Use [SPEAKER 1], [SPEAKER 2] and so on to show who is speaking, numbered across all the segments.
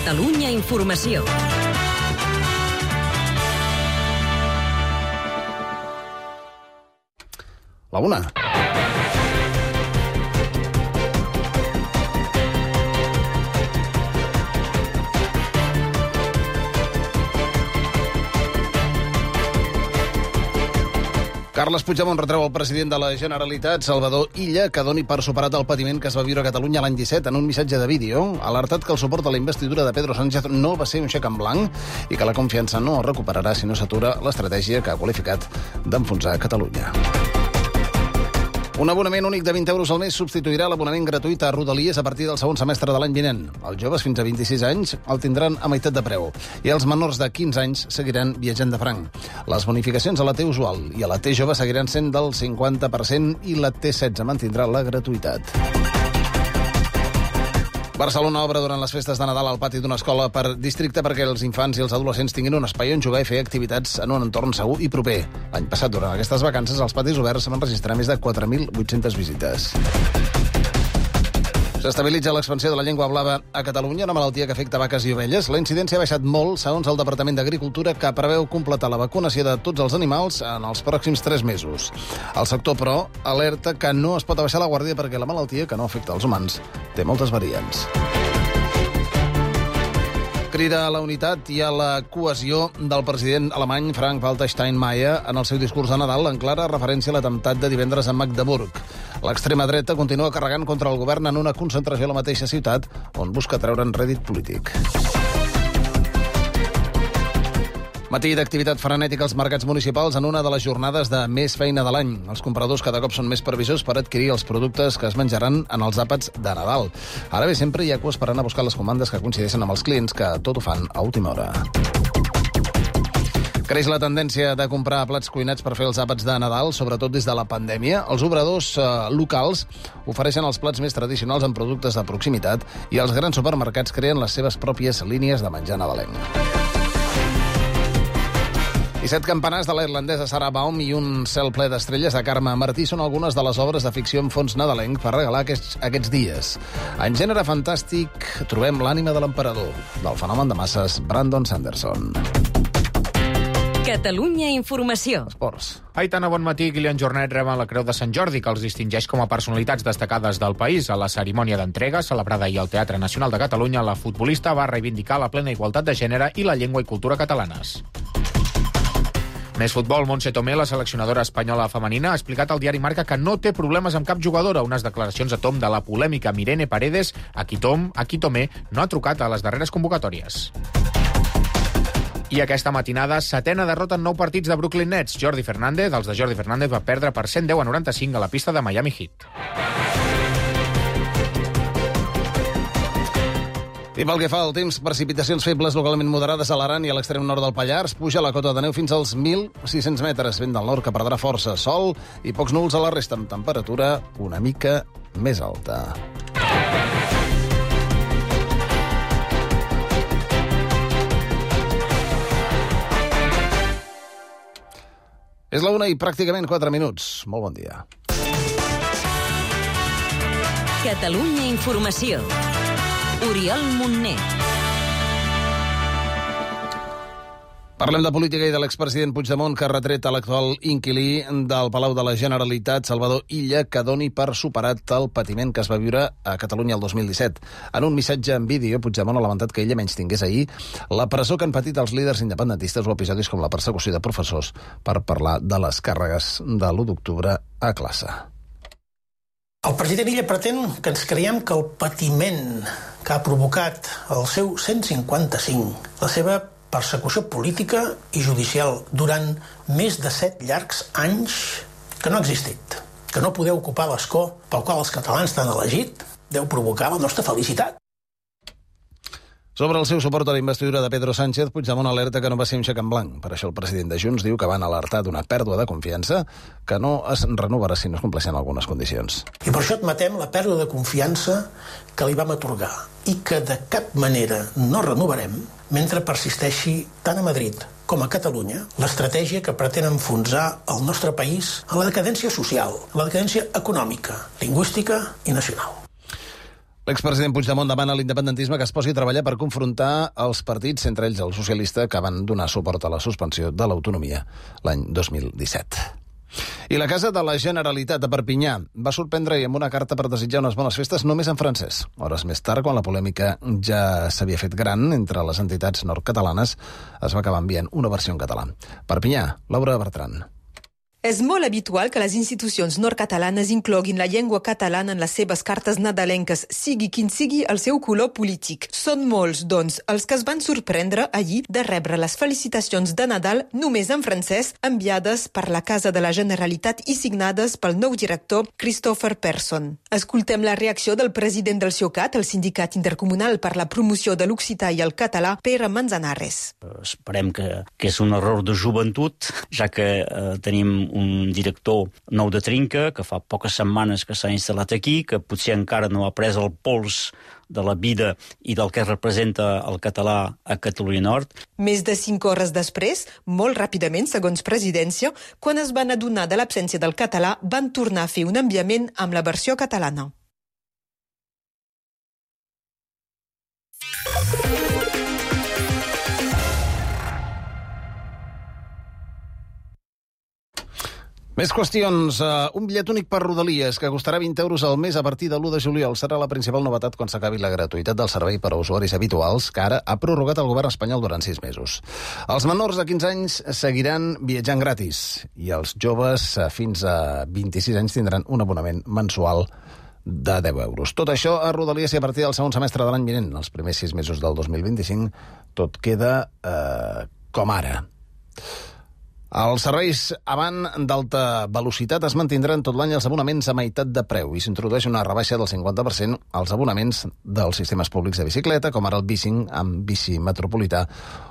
[SPEAKER 1] Catalunya Informació.
[SPEAKER 2] La una. Carles Puigdemont retreu al president de la Generalitat, Salvador Illa, que doni per superat el patiment que es va viure a Catalunya l'any 17 en un missatge de vídeo, alertat que el suport a la investidura de Pedro Sánchez no va ser un xec en blanc i que la confiança no es recuperarà si no s'atura l'estratègia que ha qualificat d'enfonsar Catalunya. Un abonament únic de 20 euros al mes substituirà l'abonament gratuït a Rodalies a partir del segon semestre de l'any vinent. Els joves fins a 26 anys el tindran a meitat de preu i els menors de 15 anys seguiran viatjant de franc. Les bonificacions a la T usual i a la T jove seguiran sent del 50% i la T16 mantindrà la gratuïtat. Barcelona obre durant les festes de Nadal al pati d'una escola per districte perquè els infants i els adolescents tinguin un espai on jugar i fer activitats en un entorn segur i proper. L'any passat, durant aquestes vacances, els patis oberts van registrar més de 4.800 visites. S'estabilitza l'expansió de la llengua blava a Catalunya, una malaltia que afecta vaques i ovelles. La incidència ha baixat molt, segons el Departament d'Agricultura, que preveu completar la vacunació de tots els animals en els pròxims 3 mesos. El sector, però, alerta que no es pot abaixar la guàrdia perquè la malaltia, que no afecta els humans, té moltes variants. Crida a la unitat i a la cohesió del president alemany Frank-Walter Steinmeier en el seu discurs de Nadal, en clara referència a l'atemptat de divendres a Magdeburg. L'extrema dreta continua carregant contra el govern en una concentració a la mateixa ciutat on busca treure'n rèdit polític. Matí d'activitat frenètica als mercats municipals en una de les jornades de més feina de l'any. Els compradors cada cop són més previsors per adquirir els productes que es menjaran en els àpats de Nadal. Ara bé, sempre hi ha cues per anar a buscar les comandes que coincideixen amb els clients, que tot ho fan a última hora. Creix la tendència de comprar plats cuinats per fer els àpats de Nadal, sobretot des de la pandèmia. Els obradors locals ofereixen els plats més tradicionals amb productes de proximitat i els grans supermercats creen les seves pròpies línies de menjar nadalenc. I 7 campanars de la irlandesa Sarah Baum i un cel ple d'estrelles de Carme Martí són algunes de les obres de ficció en fons nadalenc per regalar aquests dies. En gènere fantàstic trobem l'ànima de l'emperador, del fenomen de masses Brandon Sanderson.
[SPEAKER 1] Catalunya Informació.
[SPEAKER 2] Esports.
[SPEAKER 3] Aitana, bon matí. Kylian Jornet reben la Creu de Sant Jordi, que els distingeix com a personalitats destacades del país. A la cerimònia d'entrega, celebrada ahir al Teatre Nacional de Catalunya, la futbolista va reivindicar la plena igualtat de gènere i la llengua i cultura catalanes. Més futbol. Montse Tomé, la seleccionadora espanyola femenina, ha explicat al diari Marca que no té problemes amb cap jugadora. Unes declaracions a tom de la polèmica Mirene Paredes, a qui Tomé no ha trucat a les darreres convocatòries. I aquesta matinada, 7ena derrota en 9 partits de Brooklyn Nets. Jordi Fernández, els de Jordi Fernández, va perdre per 110-95 a la pista de Miami Heat.
[SPEAKER 2] I pel que fa al temps, precipitacions febles localment moderades a l'Aran i a l'extrem nord del Pallars. Puja la cota de neu fins als 1.600 metres. Vent del nord que perdrà força. Sol i pocs núvols a la resta, amb temperatura una mica més alta. És la 1 i pràcticament 4 minuts. Molt bon dia.
[SPEAKER 1] Catalunya Informació. Oriol Montner.
[SPEAKER 2] Parlem de política i de l'expresident Puigdemont, que ha retret a l'actual inquilí del Palau de la Generalitat, Salvador Illa, que doni per superat el patiment que es va viure a Catalunya el 2017. En un missatge en vídeo, Puigdemont ha lamentat que Illa menystingués ahir la presó que han patit els líders independentistes o episodis com la persecució de professors per parlar de les càrregues de l'1 d'octubre a classe.
[SPEAKER 4] El president Illa pretén que ens creiem que el patiment que ha provocat el seu 155, la seva persecució política i judicial durant més de 7 llargs anys, que no ha existit, que no podeu ocupar l'escó pel qual els catalans t'han elegit, deu provocar la nostra felicitat.
[SPEAKER 2] Sobre el seu suport a la investidura de Pedro Sánchez, Puigdemont alerta que no va ser un xec en blanc. Per això el president de Junts diu que van alertar d'una pèrdua de confiança que no es renovarà si no es compleixen algunes condicions.
[SPEAKER 4] I per això admetem la pèrdua de confiança que li vam atorgar i que de cap manera no renovarem mentre persisteixi tant a Madrid com a Catalunya l'estratègia que pretén enfonsar el nostre país a la decadència social, a la decadència econòmica, lingüística i nacional.
[SPEAKER 2] L'expresident Puigdemont demana a l'independentisme que es posi a treballar per confrontar els partits, entre ells el socialista, que van donar suport a la suspensió de l'autonomia l'any 2017. I la Casa de la Generalitat de Perpinyà va sorprendre-hi amb una carta per desitjar unes bones festes només en francès. Hores més tard, quan la polèmica ja s'havia fet gran entre les entitats nord-catalanes, es va acabar enviant una versió en català. Perpinyà, Laura Bertran.
[SPEAKER 5] És molt habitual que les institucions nord-catalanes incloguin la llengua catalana en les seves cartes nadalenques, sigui quin sigui el seu color polític. Són molts, doncs, els que es van sorprendre ahir de rebre les felicitacions de Nadal només en francès, enviades per la Casa de la Generalitat i signades pel nou director Christopher Persson. Escoltem la reacció del president del SIOCAT, el Sindicat Intercomunal per la Promoció de l'Occità i el Català, Pere Manzanares.
[SPEAKER 6] Esperem que és un error de joventut, ja que tenim un director nou de trinca, que fa poques setmanes que s'ha instal·lat aquí, que potser encara no ha pres el pols de la vida i del que representa el català a Catalunya Nord.
[SPEAKER 5] Més de 5 hores després, molt ràpidament, segons presidència, quan es van adonar de l'absència del català, van tornar a fer un enviament amb la versió catalana.
[SPEAKER 2] Més qüestions. Un bitllet únic per Rodalies, que costarà 20 euros al mes a partir de l'1 de juliol. Serà la principal novetat quan s'acabi la gratuïtat del servei per a usuaris habituals, que ara ha prorrogat el govern espanyol durant 6 mesos. Els menors de 15 anys seguiran viatjant gratis i els joves fins a 26 anys tindran un abonament mensual de 10 euros. Tot això a Rodalies i a partir del segon semestre de l'any vinent. Els primers 6 mesos del 2025 tot queda com ara. Els serveis avant d'alta velocitat es mantindran tot l'any els abonaments a meitat de preu i s'introdueix una rebaixa del 50% als abonaments dels sistemes públics de bicicleta, com ara el bicing amb bici metropolità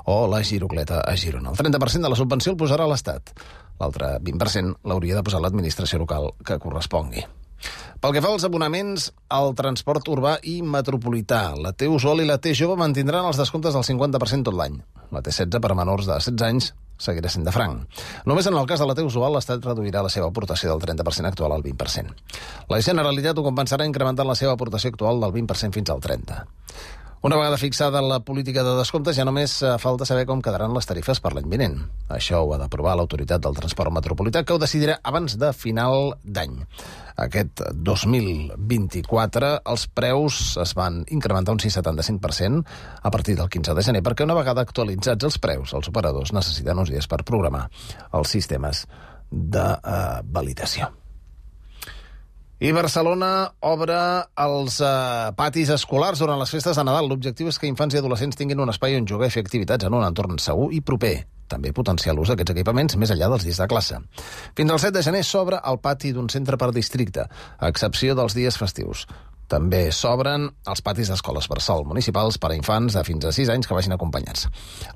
[SPEAKER 2] o la girocleta a Girona. El 30% de la subvenció el posarà l'Estat. L'altre 20% l'hauria de posar l'administració local que correspongui. Pel que fa als abonaments al transport urbà i metropolità, la T-Usual i la T-Jove mantindran els descomptes del 50% tot l'any. La T-16 per a menors de 16 anys seguirà sent de franc. Només en el cas de la T-Usual, l'Estat reduirà la seva aportació del 30% actual al 20%. La Generalitat ho compensarà incrementant la seva aportació actual del 20% fins al 30%. Una vegada fixada la política de descomptes, ja només falta saber com quedaran les tarifes per l'any vinent. Això ho ha d'aprovar l'Autoritat del Transport Metropolità, que ho decidirà abans de final d'any. Aquest 2024 els preus es van incrementar un 6,75% a partir del 15 de gener, perquè una vegada actualitzats els preus, els operadors necessiten uns dies per programar els sistemes de validació. I Barcelona obre els patis escolars durant les festes de Nadal. L'objectiu és que infants i adolescents tinguin un espai on jugar i fer activitats en un entorn segur i proper. També potenciar l'ús d'aquests equipaments més enllà dels dies de classe. Fins al 7 de gener s'obre el pati d'un centre per districte, a excepció dels dies festius. També s'obren els patis d'escoles bressol municipals per a infants de fins a 6 anys que vagin acompanyats.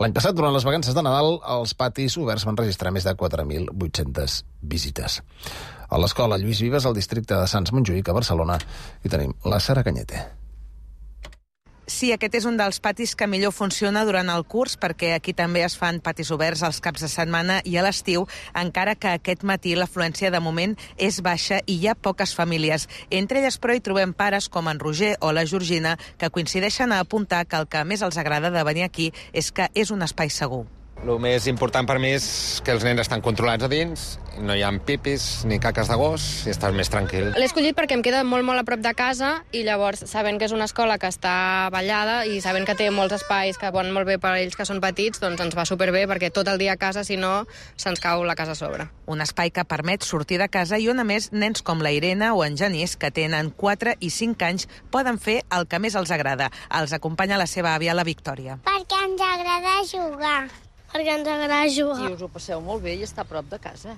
[SPEAKER 2] L'any passat, durant les vacances de Nadal, els patis oberts van registrar més de 4.800 visites. A l'escola Lluís Vives, al districte de Sants Montjuïc, a Barcelona, hi tenim la Sara Cañete.
[SPEAKER 7] Sí, aquest és un dels patis que millor funciona durant el curs, perquè aquí també es fan patis oberts als caps de setmana i a l'estiu, encara que aquest matí l'afluència de moment és baixa i hi ha poques famílies. Entre elles, però, hi trobem pares com en Roger o la Georgina, que coincideixen a apuntar que el que més els agrada de venir aquí és que és un espai segur.
[SPEAKER 8] El més important per mi és que els nens estan controlats a dins, no hi ha pipis ni caques de gos i estàs més tranquil.
[SPEAKER 9] L'he escollit perquè em queda molt a prop de casa i llavors, sabent que és una escola que està ballada i sabent que té molts espais que van molt bé per a ells que són petits, doncs ens va superbé perquè tot el dia a casa, si no, se'ns cau la casa a sobre.
[SPEAKER 7] Un espai que permet sortir de casa i on, a més, nens com la Irene o en Genís, que tenen 4 i 5 anys, poden fer el que més els agrada. Els acompanya la seva àvia, la Victòria.
[SPEAKER 10] Perquè ens agrada jugar. Perquè ens agrada jugar.
[SPEAKER 11] I us ho passeu molt bé i està a prop de casa.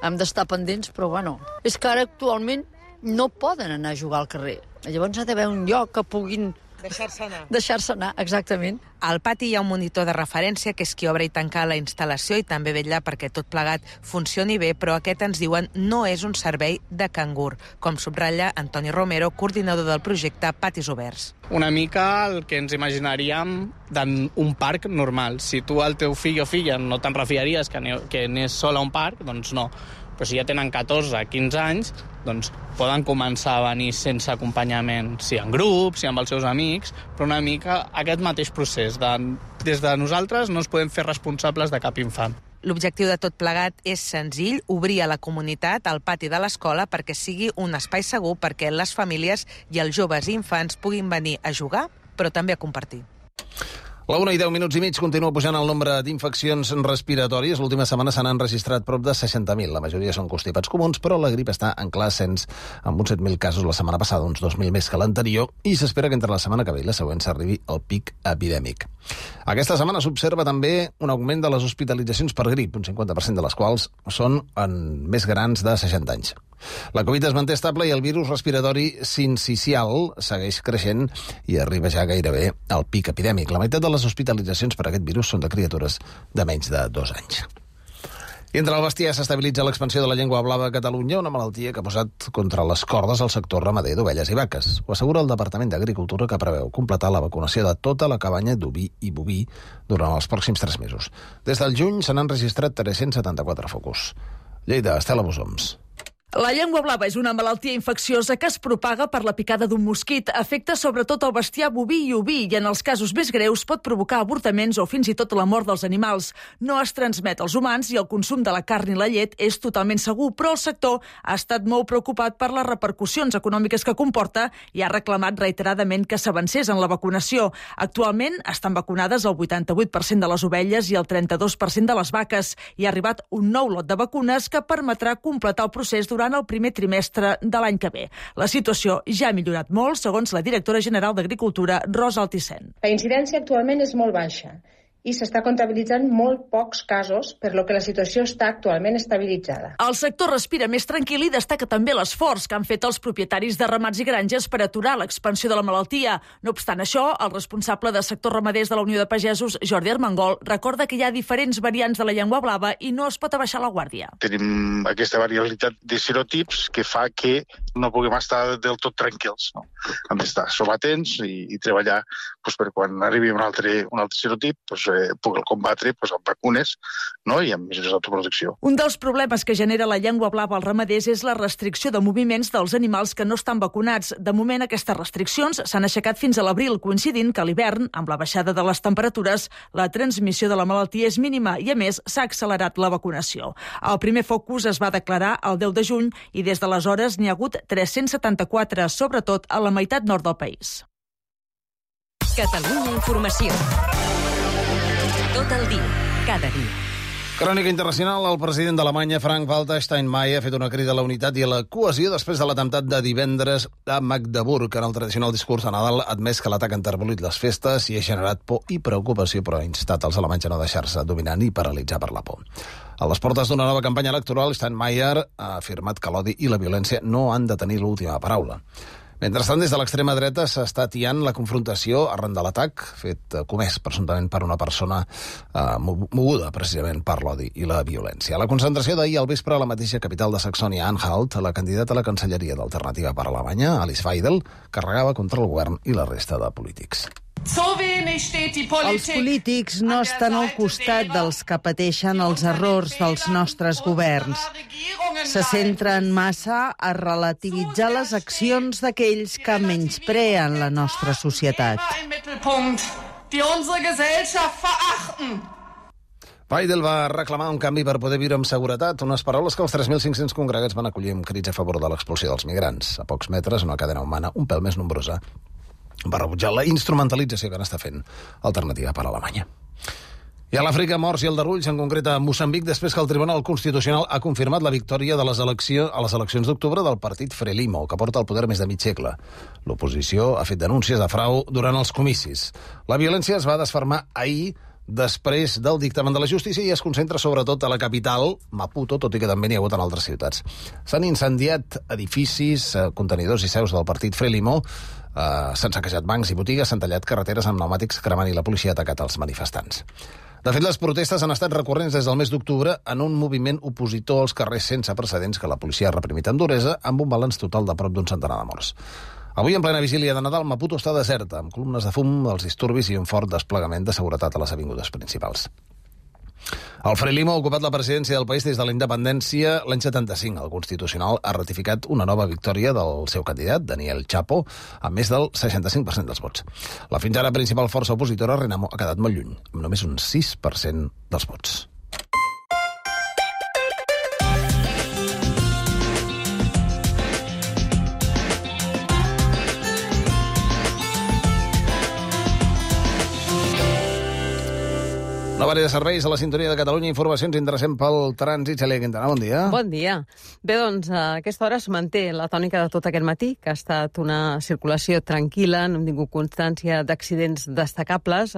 [SPEAKER 11] Hem d'estar pendents, però bueno. És que ara actualment no poden anar a jugar al carrer. Llavors ha d'haver un lloc que puguin
[SPEAKER 7] deixar-se anar.
[SPEAKER 11] Deixar-se anar, exactament.
[SPEAKER 7] Al pati hi ha un monitor de referència que és qui obre i tanca la instal·lació i també vetlla perquè tot plegat funcioni bé, però aquest, ens diuen, no és un servei de cangur, com subratlla Antoni Romero, coordinador del projecte Patis Oberts.
[SPEAKER 12] Una mica el que ens imaginaríem d'un parc normal. Si tu al teu fill o filla no te'n refiaries que anés sol a un parc, doncs no. però si ja tenen 14, 15 anys, doncs poden començar a venir sense acompanyament, si en grup, si amb els seus amics, però una mica aquest mateix procés. Des de nosaltres no ens podem fer responsables de cap infant.
[SPEAKER 7] L'objectiu de tot plegat és senzill, obrir a la comunitat al pati de l'escola perquè sigui un espai segur perquè les famílies i els joves i infants puguin venir a jugar, però també a compartir.
[SPEAKER 2] La 1:10 continua pujant el nombre d'infeccions respiratòries. L'última setmana se n'han registrat prop de 60.000. La majoria són constipats comuns, però la grip està en clar ascens, amb uns 7.000 casos la setmana passada, uns 2.000 més que l'anterior, i s'espera que entre la setmana que ve i la següent s'arribi al pic epidèmic. Aquesta setmana s'observa també un augment de les hospitalitzacions per grip, un 50% de les quals són en més grans de 60 anys. La Covid es manté estable i el virus respiratori sincicial segueix creixent i arriba ja gairebé al pic epidèmic. La meitat de les hospitalitzacions per aquest virus són de criatures de menys de 2 anys. I entre el bestiar s'estabilitza l'expansió de la llengua blava a Catalunya, una malaltia que ha posat contra les cordes el sector ramader d'ovelles i vaques. Ho assegura el Departament d'Agricultura, que preveu completar la vacunació de tota la cabanya d'oví i boví durant els pròxims 3 mesos. Des del juny se n'han registrat 374 focus. Lleida, Estela Bosoms.
[SPEAKER 13] La llengua blava és una malaltia infecciosa que es propaga per la picada d'un mosquit. Afecta sobretot el bestiar boví i oví i en els casos més greus pot provocar avortaments o fins i tot la mort dels animals. No es transmet als humans i el consum de la carn i la llet és totalment segur, però el sector ha estat molt preocupat per les repercussions econòmiques que comporta i ha reclamat reiteradament que s'avancés en la vacunació. Actualment estan vacunades el 88% de les ovelles i el 32% de les vaques. Hi ha arribat un nou lot de vacunes que permetrà completar el procés durant el primer trimestre de l'any que ve. La situació ja ha millorat molt, segons la directora general d'Agricultura, Rosa Altisent.
[SPEAKER 14] La incidència actualment és molt baixa i s'està comptabilitzant molt pocs casos, per lo que la situació està actualment estabilitzada.
[SPEAKER 13] El sector respira més tranquil i destaca també l'esforç que han fet els propietaris de ramats i granges per aturar l'expansió de la malaltia. No obstant això, el responsable de sectors ramaders de la Unió de Pagesos, Jordi Armengol, recorda que hi ha diferents variants de la llengua blava i no es pot abaixar la guàrdia.
[SPEAKER 15] Tenim aquesta variabilitat de serotips que fa que no puguem estar del tot tranquils. No? Hem d'estar somatents i treballar per quan arribi un altre serotip, poder combatre amb vacunes, no? I amb mesures d'autoprotecció.
[SPEAKER 13] Un dels problemes que genera la llengua blava als ramaders és la restricció de moviments dels animals que no estan vacunats. De moment, aquestes restriccions s'han aixecat fins a l'abril, coincidint que a l'hivern, amb la baixada de les temperatures, la transmissió de la malaltia és mínima i, a més, s'ha accelerat la vacunació. El primer focus es va declarar el 10 de juny i des d'aleshores n'hi ha hagut 374, sobretot a la meitat nord del país.
[SPEAKER 1] Catalunya Informació. Tot el dia, cada dia.
[SPEAKER 2] Crònica internacional. El president d'Alemanya, Frank-Walter Steinmeier, ha fet una crida a la unitat i a la cohesió després de l'atemptat de divendres a Magdeburg. En el tradicional discurs de Nadal ha admès que l'atac ha enterbolit les festes i ha generat por i preocupació, però ha instat els alemanys a no deixar-se dominar ni paralitzar per la por. A les portes d'una nova campanya electoral, Steinmeier ha afirmat que l'odi i la violència no han de tenir l'última paraula. Mentrestant, des de l'extrema dreta s'està atiant la confrontació arran de l'atac, comès presumptament per una persona moguda precisament per l'odi i la violència. A la concentració d'ahir al vespre a la mateixa capital de Saxònia-Anhalt, la candidata a la Cancelleria d'Alternativa per Alemanya, Alice Weidel, carregava contra el govern i la resta de polítics.
[SPEAKER 16] Els polítics no estan al costat dels que pateixen els errors dels nostres governs. Se centren massa a relativitzar les accions d'aquells que menyspreen la nostra societat.
[SPEAKER 2] Weidel va reclamar un canvi per poder viure amb seguretat, unes paraules que els 3.500 congregats van acollir amb crits a favor de l'expulsió dels migrants. A pocs metres, una cadena humana un pèl més nombrosa va rebutjar la instrumentalització que n'està fent Alternativa per Alemanya. I a l'Àfrica, morts i aldarulls, en concret a Moçambic, després que el Tribunal Constitucional ha confirmat la victòria de les eleccions d'octubre del partit Frelimo, que porta al poder més de mig segle. L'oposició ha fet denúncies de frau durant els comicis. La violència es va desfermar ahir després del dictamen de la justícia i es concentra sobretot a la capital, Maputo, tot i que també n'hi ha hagut en altres ciutats. S'han incendiat edificis, contenidors i seus del partit Frelimo, s'han saquejat bancs i botigues, s'han tallat carreteres amb pneumàtics cremant i la policia ha atacat els manifestants. De fet, les protestes han estat recurrents des del mes d'octubre en un moviment opositor als carrers sense precedents que la policia ha reprimit amb duresa, amb un balanç total de prop d'un centenar de morts. Avui, en plena vigília de Nadal, Maputo està deserta, amb columnes de fum, els disturbis i un fort desplegament de seguretat a les avingudes principals. El Frelimo ha ocupat la presidència del país des de la independència l'any 75. El Constitucional ha ratificat una nova victòria del seu candidat, Daniel Chapo, amb més del 65% dels vots. La fins ara principal força opositora, Renamo, ha quedat molt lluny, amb només un 6% dels vots. Una vària de serveis a la sintonia de Catalunya. Informacions interessants pel trànsit. Cèlia Quintana, bon dia.
[SPEAKER 17] Bon dia. Bé, doncs, a aquesta hora es manté la tònica de tot aquest matí, que ha estat una circulació tranquil·la, no hem tingut constància d'accidents destacables,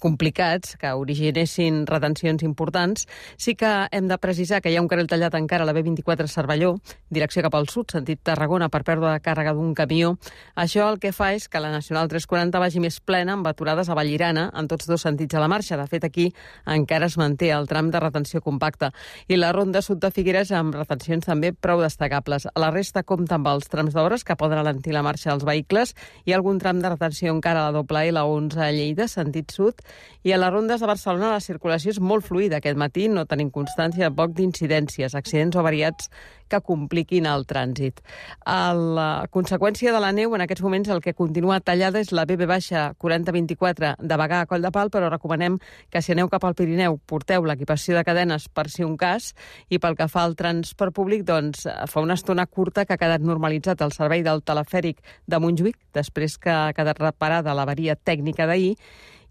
[SPEAKER 17] complicats, que originessin retencions importants. Sí que hem de precisar que hi ha un carril tallat encara a la B24 Cervelló, direcció cap al sud, sentit Tarragona, per pèrdua de càrrega d'un camió. Això el que fa és que la Nacional 340 vagi més plena, amb aturades a Vallirana, en tots dos sentits a la marxa. De fet, aquí encara es manté el tram de retenció compacta. I la ronda sud de Figueres amb retencions també prou destacables. A la resta compta amb els trams d'obres que poden alentir la marxa dels vehicles i algun tram de retenció encara a la doble i la 11 a Lleida, sentit sud. I a les rondes de Barcelona la circulació és molt fluida. Aquest matí no tenim constància de poc d'incidències, accidents o variats que compliquin el trànsit. A la conseqüència de la neu, en aquests moments el que continua tallada és la BB-4024 de Bagà a Coll de Pal, però recomanem que si aneu cap al Pirineu porteu l'equipació de cadenes per si un cas, i pel que fa al transport públic, doncs fa una estona curta que ha quedat normalitzat el servei del telefèric de Montjuïc, després que ha quedat reparada l'avaria tècnica d'ahir.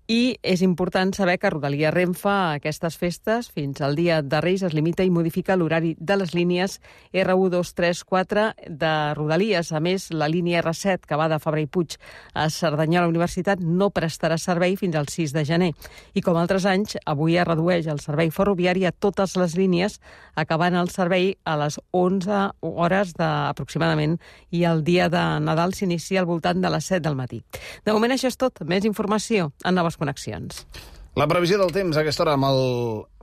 [SPEAKER 17] I és important saber que Rodalia Renfe a aquestes festes, fins al dia de Reis, es limita i modifica l'horari de les línies R1, 2, 3, 4 de Rodalies. A més, la línia R7, que va de Fabra i Puig a Cerdanyola Universitat, no prestarà servei fins al 6 de gener. I com altres anys, avui es redueix el servei ferroviari a totes les línies, acabant el servei a les 11 hores aproximadament, i el dia de Nadal s'inicia al voltant de les 7 del matí. De moment això és tot. Més informació en Noves Connexions.
[SPEAKER 2] La previsió del temps a aquesta hora amb el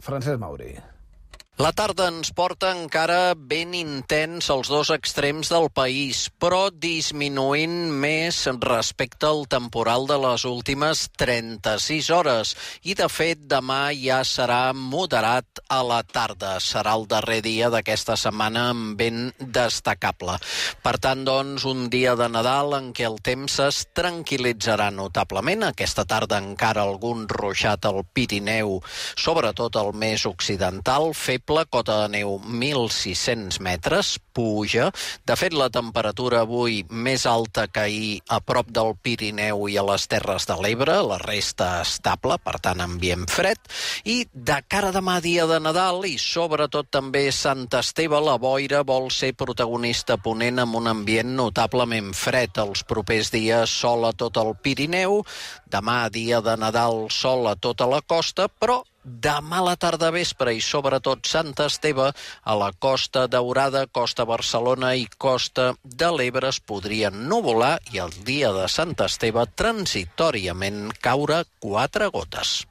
[SPEAKER 2] Francesc Mauri.
[SPEAKER 18] La tarda ens porta encara ben intens als dos extrems del país, però disminuint més respecte al temporal de les últimes 36 hores. I, de fet, demà ja serà moderat a la tarda. Serà el darrer dia d'aquesta setmana amb vent destacable. Per tant, doncs, un dia de Nadal en què el temps es tranquil·litzarà notablement. Aquesta tarda encara algun ruixat al Pirineu, sobretot al més occidental, la cota de neu 1.600 metres, puja. De fet, la temperatura avui més alta que ahir a prop del Pirineu i a les Terres de l'Ebre, la resta estable, per tant, ambient fred. I de cara a demà, dia de Nadal, i sobretot també Sant Esteve, la boira vol ser protagonista ponent amb un ambient notablement fred. Els propers dies, sol a tot el Pirineu. Demà, dia de Nadal, sol a tota la costa, però demà a la tarda vespre i sobretot Sant Esteve, a la Costa Daurada, Costa Barcelona i Costa de l'Ebre es podrien nuvolar i el dia de Sant Esteve transitòriament caure 4 gotes.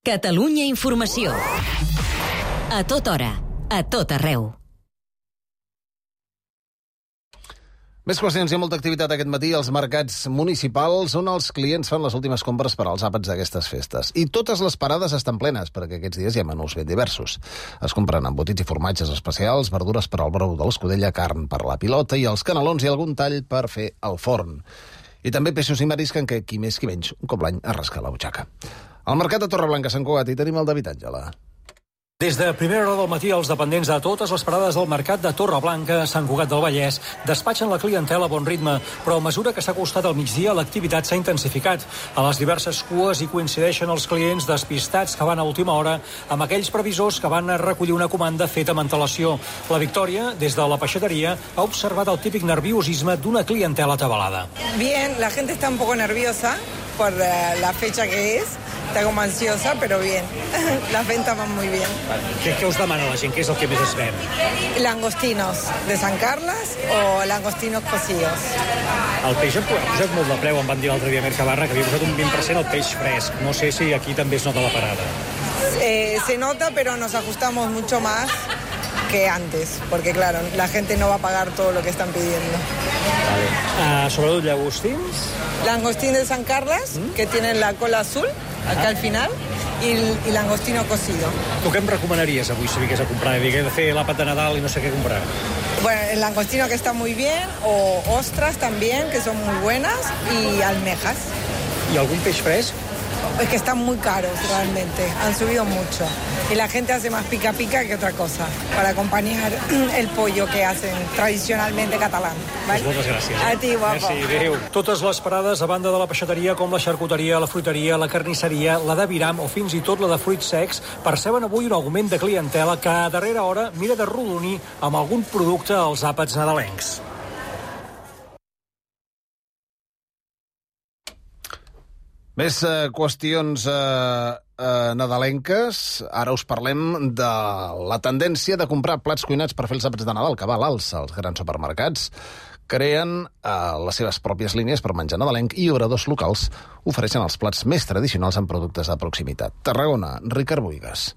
[SPEAKER 1] Catalunya Informació. A tota hora, a tot arreu.
[SPEAKER 2] Més qüestions, hi ha molta activitat aquest matí als mercats municipals on els clients fan les últimes compres per als àpats d'aquestes festes. I totes les parades estan plenes, perquè aquests dies hi ha menús ben diversos. Es compren embotits i formatges especials, verdures per al brou de l'escudella, carn per la pilota i els canelons i algun tall per fer al forn. I també peixos i marisc en què qui més qui menys un cop l'any es rasca la butxaca. Al mercat de Torreblanca, Sant Cugat, hi tenim el David Àngela.
[SPEAKER 19] Des de primera hora del matí, els dependents de totes les parades del mercat de Torreblanca, Sant Cugat del Vallès, despatxen la clientela a bon ritme, però a mesura que s'ha acostat al migdia, l'activitat s'ha intensificat. A les diverses cues hi coincideixen els clients despistats que van a última hora amb aquells previsors que van a recollir una comanda feta amb antelació. La Victòria, des de la peixateria, ha observat el típic nerviosisme d'una clientela atabalada.
[SPEAKER 20] Bien, la gente está un poco nerviosa por la fecha que es. Está como ansiosa, pero bien. Las ventas van muy bien.
[SPEAKER 19] Què us demana la gent? Què és el que més es ven?
[SPEAKER 20] Langostinos de Sant Carles o langostinos cocidos.
[SPEAKER 19] El peix ha posat molt de preu, em van dir l'altre dia a Mercabarra que havia posat un 20% el peix fresc. No sé si aquí també es nota la parada.
[SPEAKER 20] Se nota, pero nos ajustamos mucho más que antes, porque claro, la gente no va a pagar todo lo que están pidiendo.
[SPEAKER 19] Vale. Sobretot llagostins.
[SPEAKER 20] Langostín de Sant Carles, que tienen la cola azul, acá al final. y langostino cocido.
[SPEAKER 19] Tu què em recomanaries avui si vingués a comprar? He de fer l'àpat de Nadal i no sé què comprar.
[SPEAKER 20] Bueno, el langostino que está muy bien, o ostras también, que son muy buenas, y almejas.
[SPEAKER 19] ¿Y algún peix fresc?
[SPEAKER 20] Es que están muy caros realmente, han subido mucho. Y la gente hace más pica pica que otra cosa, para acompañar el pollo que hacen tradicionalmente catalán. ¿Vale?
[SPEAKER 19] Pues moltes gràcies.
[SPEAKER 20] A ti, guapo.
[SPEAKER 19] Merci, adéu. Totes les parades, a banda de la peixateria, com la xarcuteria, la fruiteria, la carnisseria, la d'aviram o fins i tot la de fruits secs, perceben avui un augment de clientela que a darrera hora mira de rodonir amb algun producte als àpats nadalencs.
[SPEAKER 2] Més qüestions nadalenques. Ara us parlem de la tendència de comprar plats cuinats per fer els àpats de Nadal, que va a l'alça. Els grans supermercats creen les seves pròpies línies per menjar nadalenc i obradors locals ofereixen els plats més tradicionals amb productes de proximitat. Tarragona, Ricard Boigas.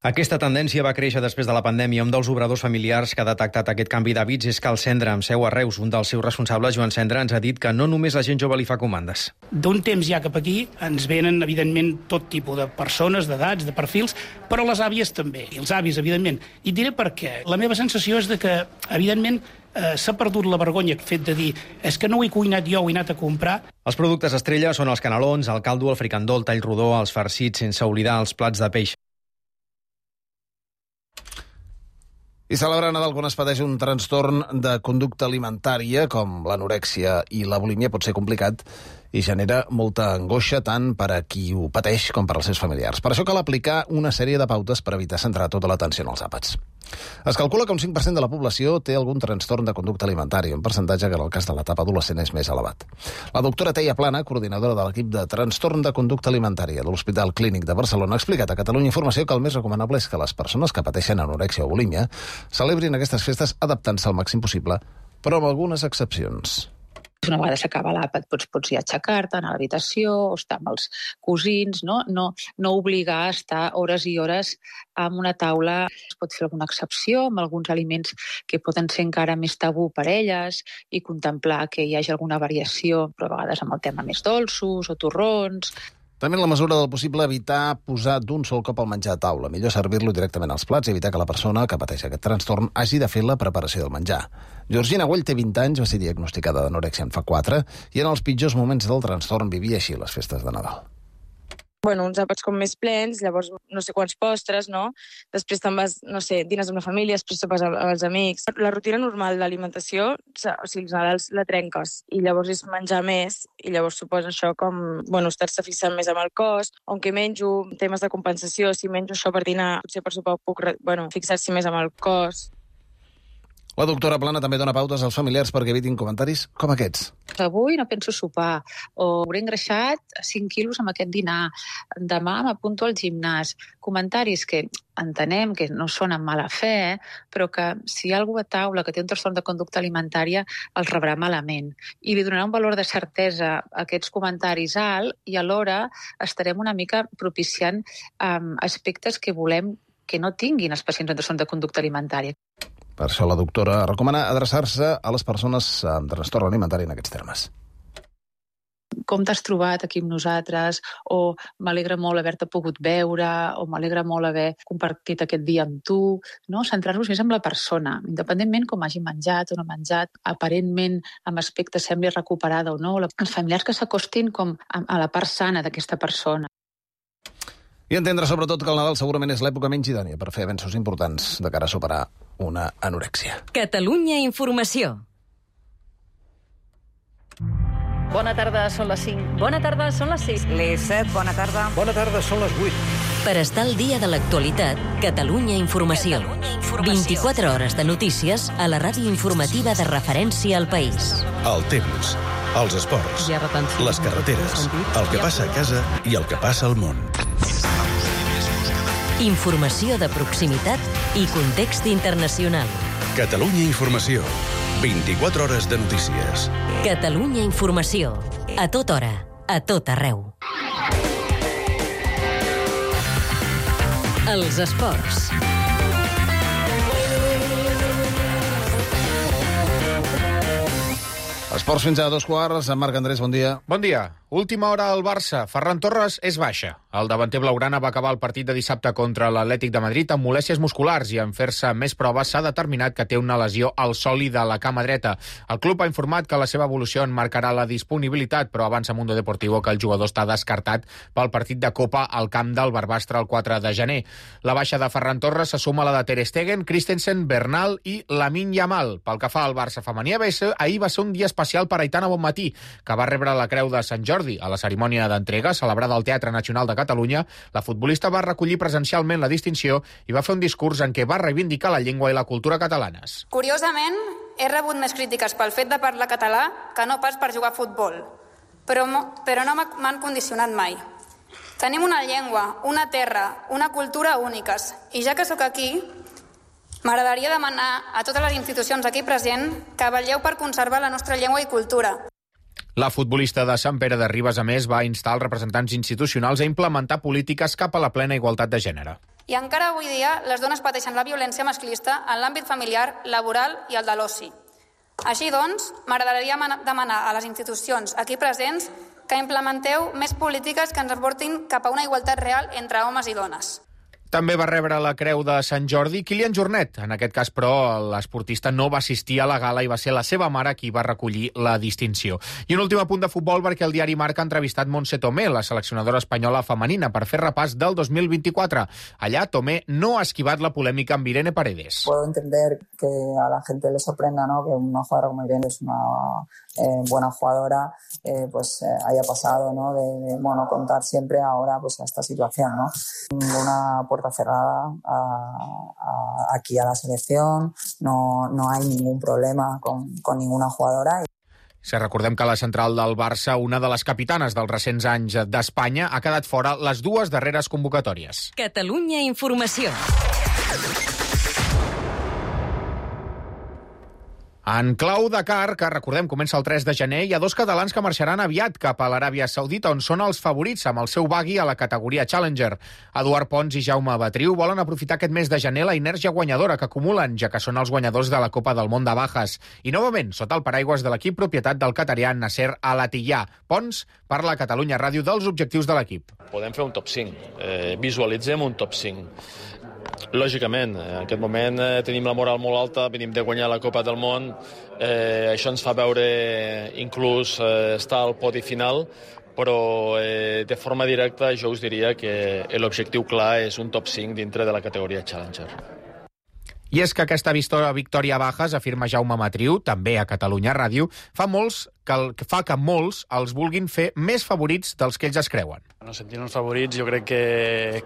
[SPEAKER 21] Aquesta tendència va créixer després de la pandèmia. Un dels obradors familiars que ha detectat aquest canvi d'hàbits és Cal Cendra, amb seu a Reus. Un dels seus responsables, Joan Cendra, ens ha dit que no només la gent jove li fa comandes.
[SPEAKER 22] D'un temps ja cap aquí ens venen, evidentment, tot tipus de persones, d'edats, de perfils, però les àvies també, i els avis, evidentment. I diré per què. La meva sensació és de que, evidentment, s'ha perdut la vergonya fet de dir és que no ho he cuinat jo, ho he anat a comprar.
[SPEAKER 21] Els productes estrella són els canelons, el caldo, el fricandó, el tall rodó, els farcits, sense oblidar els plats de peix.
[SPEAKER 2] I celebrar Nadal quan es pateix un trastorn de conducta alimentària, com l'anorèxia i la bulímia, pot ser complicat i genera molta angoixa tant per a qui ho pateix com per als seus familiars. Per això cal aplicar una sèrie de pautes per evitar centrar tota l'atenció en els àpats. Es calcula que un 5% de la població té algun trastorn de conducta alimentària, un percentatge que en el cas de l'etapa adolescent és més elevat. La doctora Teia Plana, coordinadora de l'equip de trastorn de conducta alimentària de l'Hospital Clínic de Barcelona, ha explicat a Catalunya Informació que el més recomanable és que les persones que pateixen anorèxia o bulímia celebrin aquestes festes adaptant-se al màxim possible, però amb algunes excepcions.
[SPEAKER 23] Una vegada s'acaba l'àpat pots ja aixecar-te, anar a l'habitació, o estar amb els cosins, no obligar a estar hores i hores en una taula. Es pot fer alguna excepció amb alguns aliments que poden ser encara més tabú per elles i contemplar que hi hagi alguna variació, però a vegades amb el tema més dolços o torrons.
[SPEAKER 2] També en la mesura del possible evitar posar d'un sol cop el menjar a taula. Millor servir-lo directament als plats i evitar que la persona que pateix aquest trastorn hagi de fer la preparació del menjar. Georgina Güell té 20 anys, va ser diagnosticada d'anorèxia en fa 4 i en els pitjors moments del trastorn vivia així les festes de Nadal.
[SPEAKER 24] Bueno, uns àpats com més plens, llavors no sé quants postres, no? Després te'n vas, no sé, dines amb la família, després sopes amb els amics. La rutina normal d'alimentació, o sigui, els Nadals la trenques i llavors és menjar més i llavors suposa això com, bueno, estar-se fixant més amb el cos, on que menjo, temes de compensació, si menjo això per dinar, potser per sopar puc, fixar-se més amb el cos.
[SPEAKER 2] La doctora Plana també dona pautes als familiars perquè evitin comentaris com aquests.
[SPEAKER 23] Avui no penso sopar, o hauré engreixat 5 quilos amb aquest dinar, demà m'apunto al gimnàs. Comentaris que entenem que no són amb mala fe, però que si hi ha algú a taula que té un trastorn de conducta alimentària els rebrà malament. I li donarà un valor de certesa a aquests comentaris alt i alhora estarem una mica propiciant aspectes que volem que no tinguin els pacients amb trastorn de conducta alimentària.
[SPEAKER 2] Per això la doctora recomana adreçar-se a les persones amb trastorn alimentari en aquests termes.
[SPEAKER 23] Com t'has trobat aquí amb nosaltres? O m'alegra molt haver-te pogut veure, o m'alegra molt haver compartit aquest dia amb tu. No? Centrar-nos més en la persona, independentment com hagi menjat o no menjat, aparentment amb aspecte sembli recuperada o no. Els familiars que s'acostin com a la part sana d'aquesta persona.
[SPEAKER 2] I entendre sobretot que el Nadal segurament és l'època menys idònia per fer avenços importants de cara a superar una anorèxia.
[SPEAKER 1] Catalunya Informació.
[SPEAKER 25] Bona tarda, són les 5.
[SPEAKER 1] Bona tarda, són les 6.
[SPEAKER 25] Les 7, bona tarda.
[SPEAKER 19] Bona tarda, són les 8.
[SPEAKER 1] Per estar al dia de l'actualitat, Catalunya Informació. 24 hores de notícies a la ràdio informativa de referència al país.
[SPEAKER 26] El temps, els esports, les carreteres, el que passa a casa i el que passa al món.
[SPEAKER 1] Informació de proximitat i context internacional.
[SPEAKER 26] Catalunya Informació. 24 hores de notícies.
[SPEAKER 1] Catalunya Informació. A tota hora, a tot arreu. Els esports.
[SPEAKER 2] Esports fins a 2 quarts. Marc Andrés, bon dia.
[SPEAKER 3] Bon dia. Última hora al Barça. Ferran Torres és baixa. El davanter blaugrana va acabar el partit de dissabte contra l'Atlètic de Madrid amb molèsties musculars i en fer-se més proves s'ha determinat que té una lesió al soli de la cama dreta. El club ha informat que la seva evolució en marcarà la disponibilitat, però avança Mundo Deportivo que el jugador està descartat pel partit de Copa al camp del Barbastre el 4 de gener. La baixa de Ferran Torres se suma a la de Ter Stegen, Christensen, Bernal i Lamine Yamal. Pel que fa al Barça femení, ahir va ser un dia especial per Aitana Bonmatí, que va rebre la Creu de Sant Jordi. A la cerimònia d'entrega, celebrada al Teatre Nacional de Catalunya, la futbolista va recollir presencialment la distinció i va fer un discurs en què va reivindicar la llengua i la cultura catalanes.
[SPEAKER 4] Curiosament, he rebut més crítiques pel fet de parlar català que no pas per jugar a futbol, però no m'han condicionat mai. Tenim una llengua, una terra, una cultura úniques, i ja que sóc aquí, m'agradaria demanar a totes les institucions aquí presents que vetlleu per conservar la nostra llengua i cultura.
[SPEAKER 3] La futbolista de Sant Pere de Ribes, a més, va instar els representants institucionals a implementar polítiques cap a la plena igualtat de gènere.
[SPEAKER 4] I encara avui dia les dones pateixen la violència masclista en l'àmbit familiar, laboral i el de l'oci. Així doncs, m'agradaria demanar a les institucions aquí presents que implementeu més polítiques que ens aportin cap a una igualtat real entre homes i dones.
[SPEAKER 3] També va rebre la Creu de Sant Jordi Kilian Jornet. En aquest cas, però, l'esportista no va assistir a la gala i va ser la seva mare qui va recollir la distinció. I un últim apunt de futbol perquè el diari Marca ha entrevistat Montse Tomé, la seleccionadora espanyola femenina, per fer repàs del 2024. Allà, Tomé no ha esquivat la polèmica amb Irene Paredes.
[SPEAKER 5] Puedo entender que a la gente le sorprenda, ¿no?, que una jugadora como Irene es una buena jugadora, haya pasado, ¿no?, de contar siempre ahora pues a esta situación, ¿no? Una puerta cerrada aquí a la selección, no hay ningún problema con ninguna jugadora.
[SPEAKER 3] Si recordem que a la central del Barça, una de les capitanes dels recents anys d'Espanya, ha quedat fora les dues darreres convocatòries.
[SPEAKER 1] Catalunya Informació.
[SPEAKER 3] En clau Dakar, que recordem comença el 3 de gener, hi ha dos catalans que marxaran aviat cap a l'Aràbia Saudita, on són els favorits amb el seu buggy a la categoria Challenger. Eduard Pons i Jaume Batriu volen aprofitar aquest mes de gener la inèrgia guanyadora que acumulen, ja que són els guanyadors de la Copa del Món de Bajas. I novament, sota el paraigües de l'equip propietat del catarià Nasser Al-Attiyah. Pons parla a Catalunya Ràdio dels objectius de l'equip.
[SPEAKER 6] Podem fer un top 5. Visualitzem un top 5. Lògicament, en aquest moment tenim la moral molt alta, venim de guanyar la Copa del Món, això ens fa veure inclús estar al podi final, però de forma directa jo us diria que l'objectiu clar és un top 5 dintre de la categoria Challenger.
[SPEAKER 3] I és que aquesta victòria a Bajas, afirma Jaume Batriu, també a Catalunya Ràdio, fa que molts els vulguin fer més favorits dels que ells es creuen.
[SPEAKER 8] No sentir-nos favorits jo crec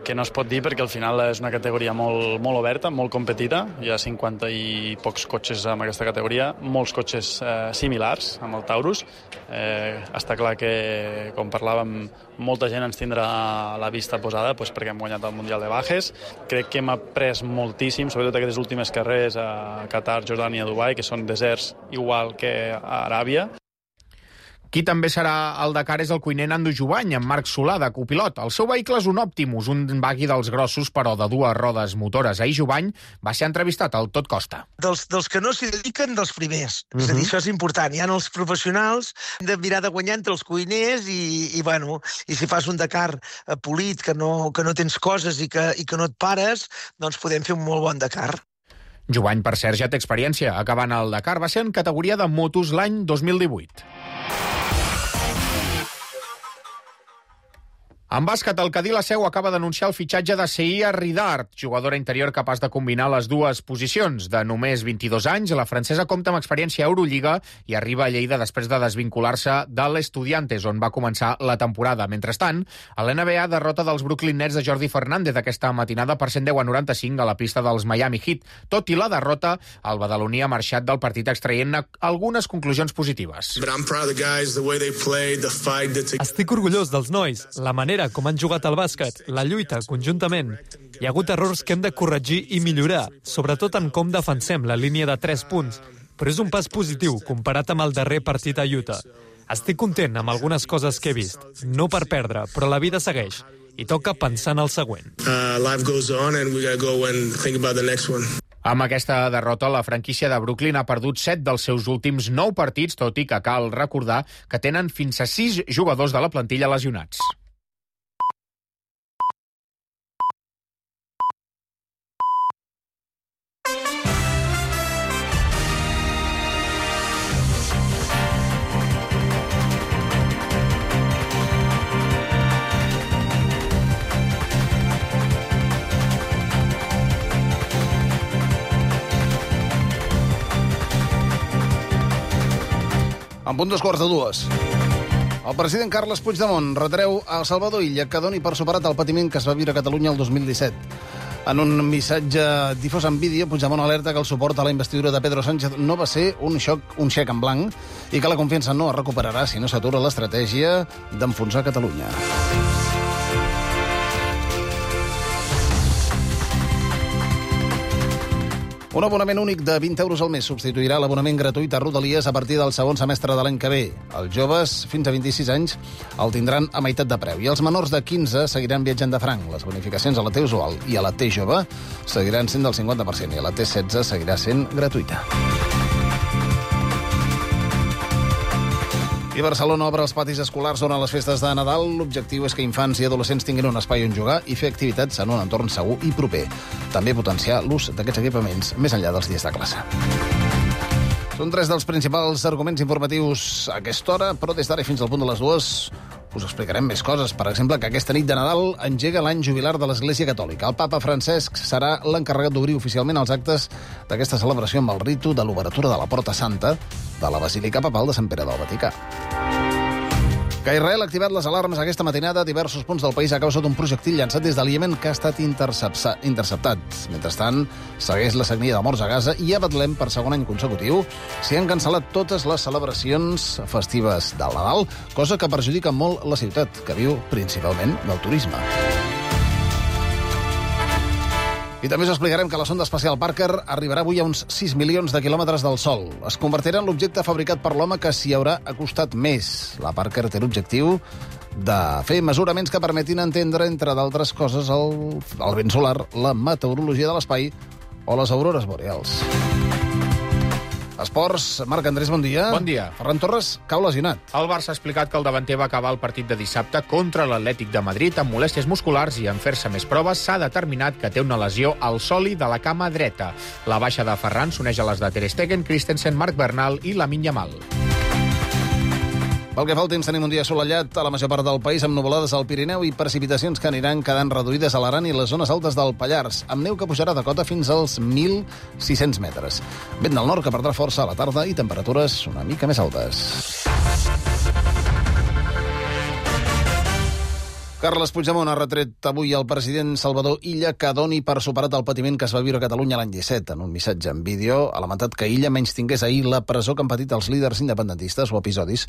[SPEAKER 8] que no es pot dir perquè al final és una categoria molt oberta, molt competida. Hi ha 50 i pocs cotxes en aquesta categoria, molts cotxes similars amb el Taurus. Està clar que, com parlàvem, molta gent ens tindrà la vista posada perquè hem guanyat el Mundial de Bajes. Crec que hem après moltíssim, sobretot aquestes últimes carreres a Qatar, Jordània, Dubai, que són deserts igual que a Aràbia.
[SPEAKER 3] Qui també serà al Dakar és el cuiner Nando Jubany, amb Marc Solà, de copilot. El seu vehicle és un Optimus, un buggy dels grossos, però de dues rodes motores. Ahir Jubany va ser entrevistat al Tot Costa.
[SPEAKER 9] Dels que no s'hi dediquen, dels primers. És a dir, això és important. Hi ha els professionals, hem de mirar de guanyar entre els cuiners i si fas un Dakar polit, que no tens coses i que no et pares, doncs podem fer un molt bon Dakar.
[SPEAKER 3] Jubany, per cert, ja té experiència. Acabant el Dakar va ser en categoria de motos l'any 2018. En bàsquet, el Cadí la Seu acaba d'anunciar el fitxatge de Seia Ridart, jugadora interior capaç de combinar les dues posicions. De només 22 anys, la francesa compta amb experiència a Eurolliga i arriba a Lleida després de desvincular-se de l'Estudiantes, on va començar la temporada. Mentrestant, a l'NBA, derrota dels Brooklyn Nets de Jordi Fernández aquesta matinada per 110-95 a la pista dels Miami Heat. Tot i la derrota, el badaloní ha marxat del partit extraient algunes conclusions positives.
[SPEAKER 10] Estic orgullós dels nois, la manera com han jugat al bàsquet, la lluita conjuntament. Hi ha hagut errors que hem de corregir i millorar, sobretot en com defensem la línia de 3 punts, però és un pas positiu comparat amb el darrer partit a Utah. Estic content amb algunes coses que he vist, no per perdre, però la vida segueix i toca pensar en el següent.
[SPEAKER 3] Life goes on and we gotta go and think about the next one. Amb aquesta derrota, la franquícia de Brooklyn ha perdut 7 dels seus últims 9 partits, tot i que cal recordar que tenen fins a 6 jugadors de la plantilla lesionats.
[SPEAKER 2] En punt 2:45. El president Carles Puigdemont retreu a Salvador Illa que doni per superat el patiment que es va viure a Catalunya el 2017. En un missatge difós en vídeo, Puigdemont alerta que el suport a la investidura de Pedro Sánchez no va ser un xec en blanc i que la confiança no es recuperarà si no s'atura l'estratègia d'enfonsar Catalunya. Un abonament únic de 20 euros al mes substituirà l'abonament gratuït a Rodalies a partir del segon semestre de l'any que ve. Els joves, fins a 26 anys, el tindran a meitat de preu. I els menors de 15 seguiran viatjant de franc. Les bonificacions a la T usual i a la T jove seguiran sent del 50% i a la T16 seguirà sent gratuïta. I Barcelona obre els patis escolars durant les festes de Nadal. L'objectiu és que infants i adolescents tinguin un espai on jugar i fer activitats en un entorn segur i proper. També potenciar l'ús d'aquests equipaments més enllà dels dies de classe. Són 3 dels principals arguments informatius a aquesta hora, però des d'ara fins al punt de les 2 us explicarem més coses. Per exemple, que aquesta nit de Nadal engega l'any jubilar de l'Església Catòlica. El papa Francesc serà l'encarregat d'obrir oficialment els actes d'aquesta celebració amb el ritu de l'obertura de la Porta Santa de la Basílica Papal de Sant Pere del Vaticà. Que Israel ha activat les alarmes aquesta matinada a diversos punts del país a causa d'un projectil llançat des del Iemen que ha estat interceptat. Mentrestant, segueix la sagnia de morts a Gaza i a Betlem, per segon any consecutiu, s'hi han cancel·lat totes les celebracions festives del Nadal, cosa que perjudica molt la ciutat, que viu principalment del turisme. I també us explicarem que la sonda espacial Parker arribarà avui a uns 6 milions de quilòmetres del Sol. Es convertirà en l'objecte fabricat per l'home que s'hi haurà acostat més. La Parker té l'objectiu de fer mesuraments que permetin entendre, entre d'altres coses, el vent solar, la meteorologia de l'espai o les aurores boreals. Esports, Marc Andrés, bon dia.
[SPEAKER 3] Bon dia.
[SPEAKER 2] Ferran Torres cau lesionat.
[SPEAKER 3] El Barça ha explicat que el davanter va acabar el partit de dissabte contra l'Atlètic de Madrid amb molèsties musculars i en fer-se més proves s'ha determinat que té una lesió al sòlid de la cama dreta. La baixa de Ferran s'uneix a les de Ter Stegen, Christensen, Marc Bernal i Lamine Yamal. Pel que fa al temps, tenim un dia assolellat a la major part del país amb nuvolades al Pirineu i precipitacions que aniran quedant reduïdes a l'Aran i les zones altes del Pallars, amb neu que pujarà de cota fins als 1.600 metres. Vent del nord que perdrà força a la tarda i temperatures una mica més altes. Carles Puigdemont ha retret avui al president Salvador Illa que doni per superat el patiment que es va viure a Catalunya l'any 17. En un missatge en vídeo ha lamentat que Illa menystingués ahir la presó que han patit els líders independentistes o episodis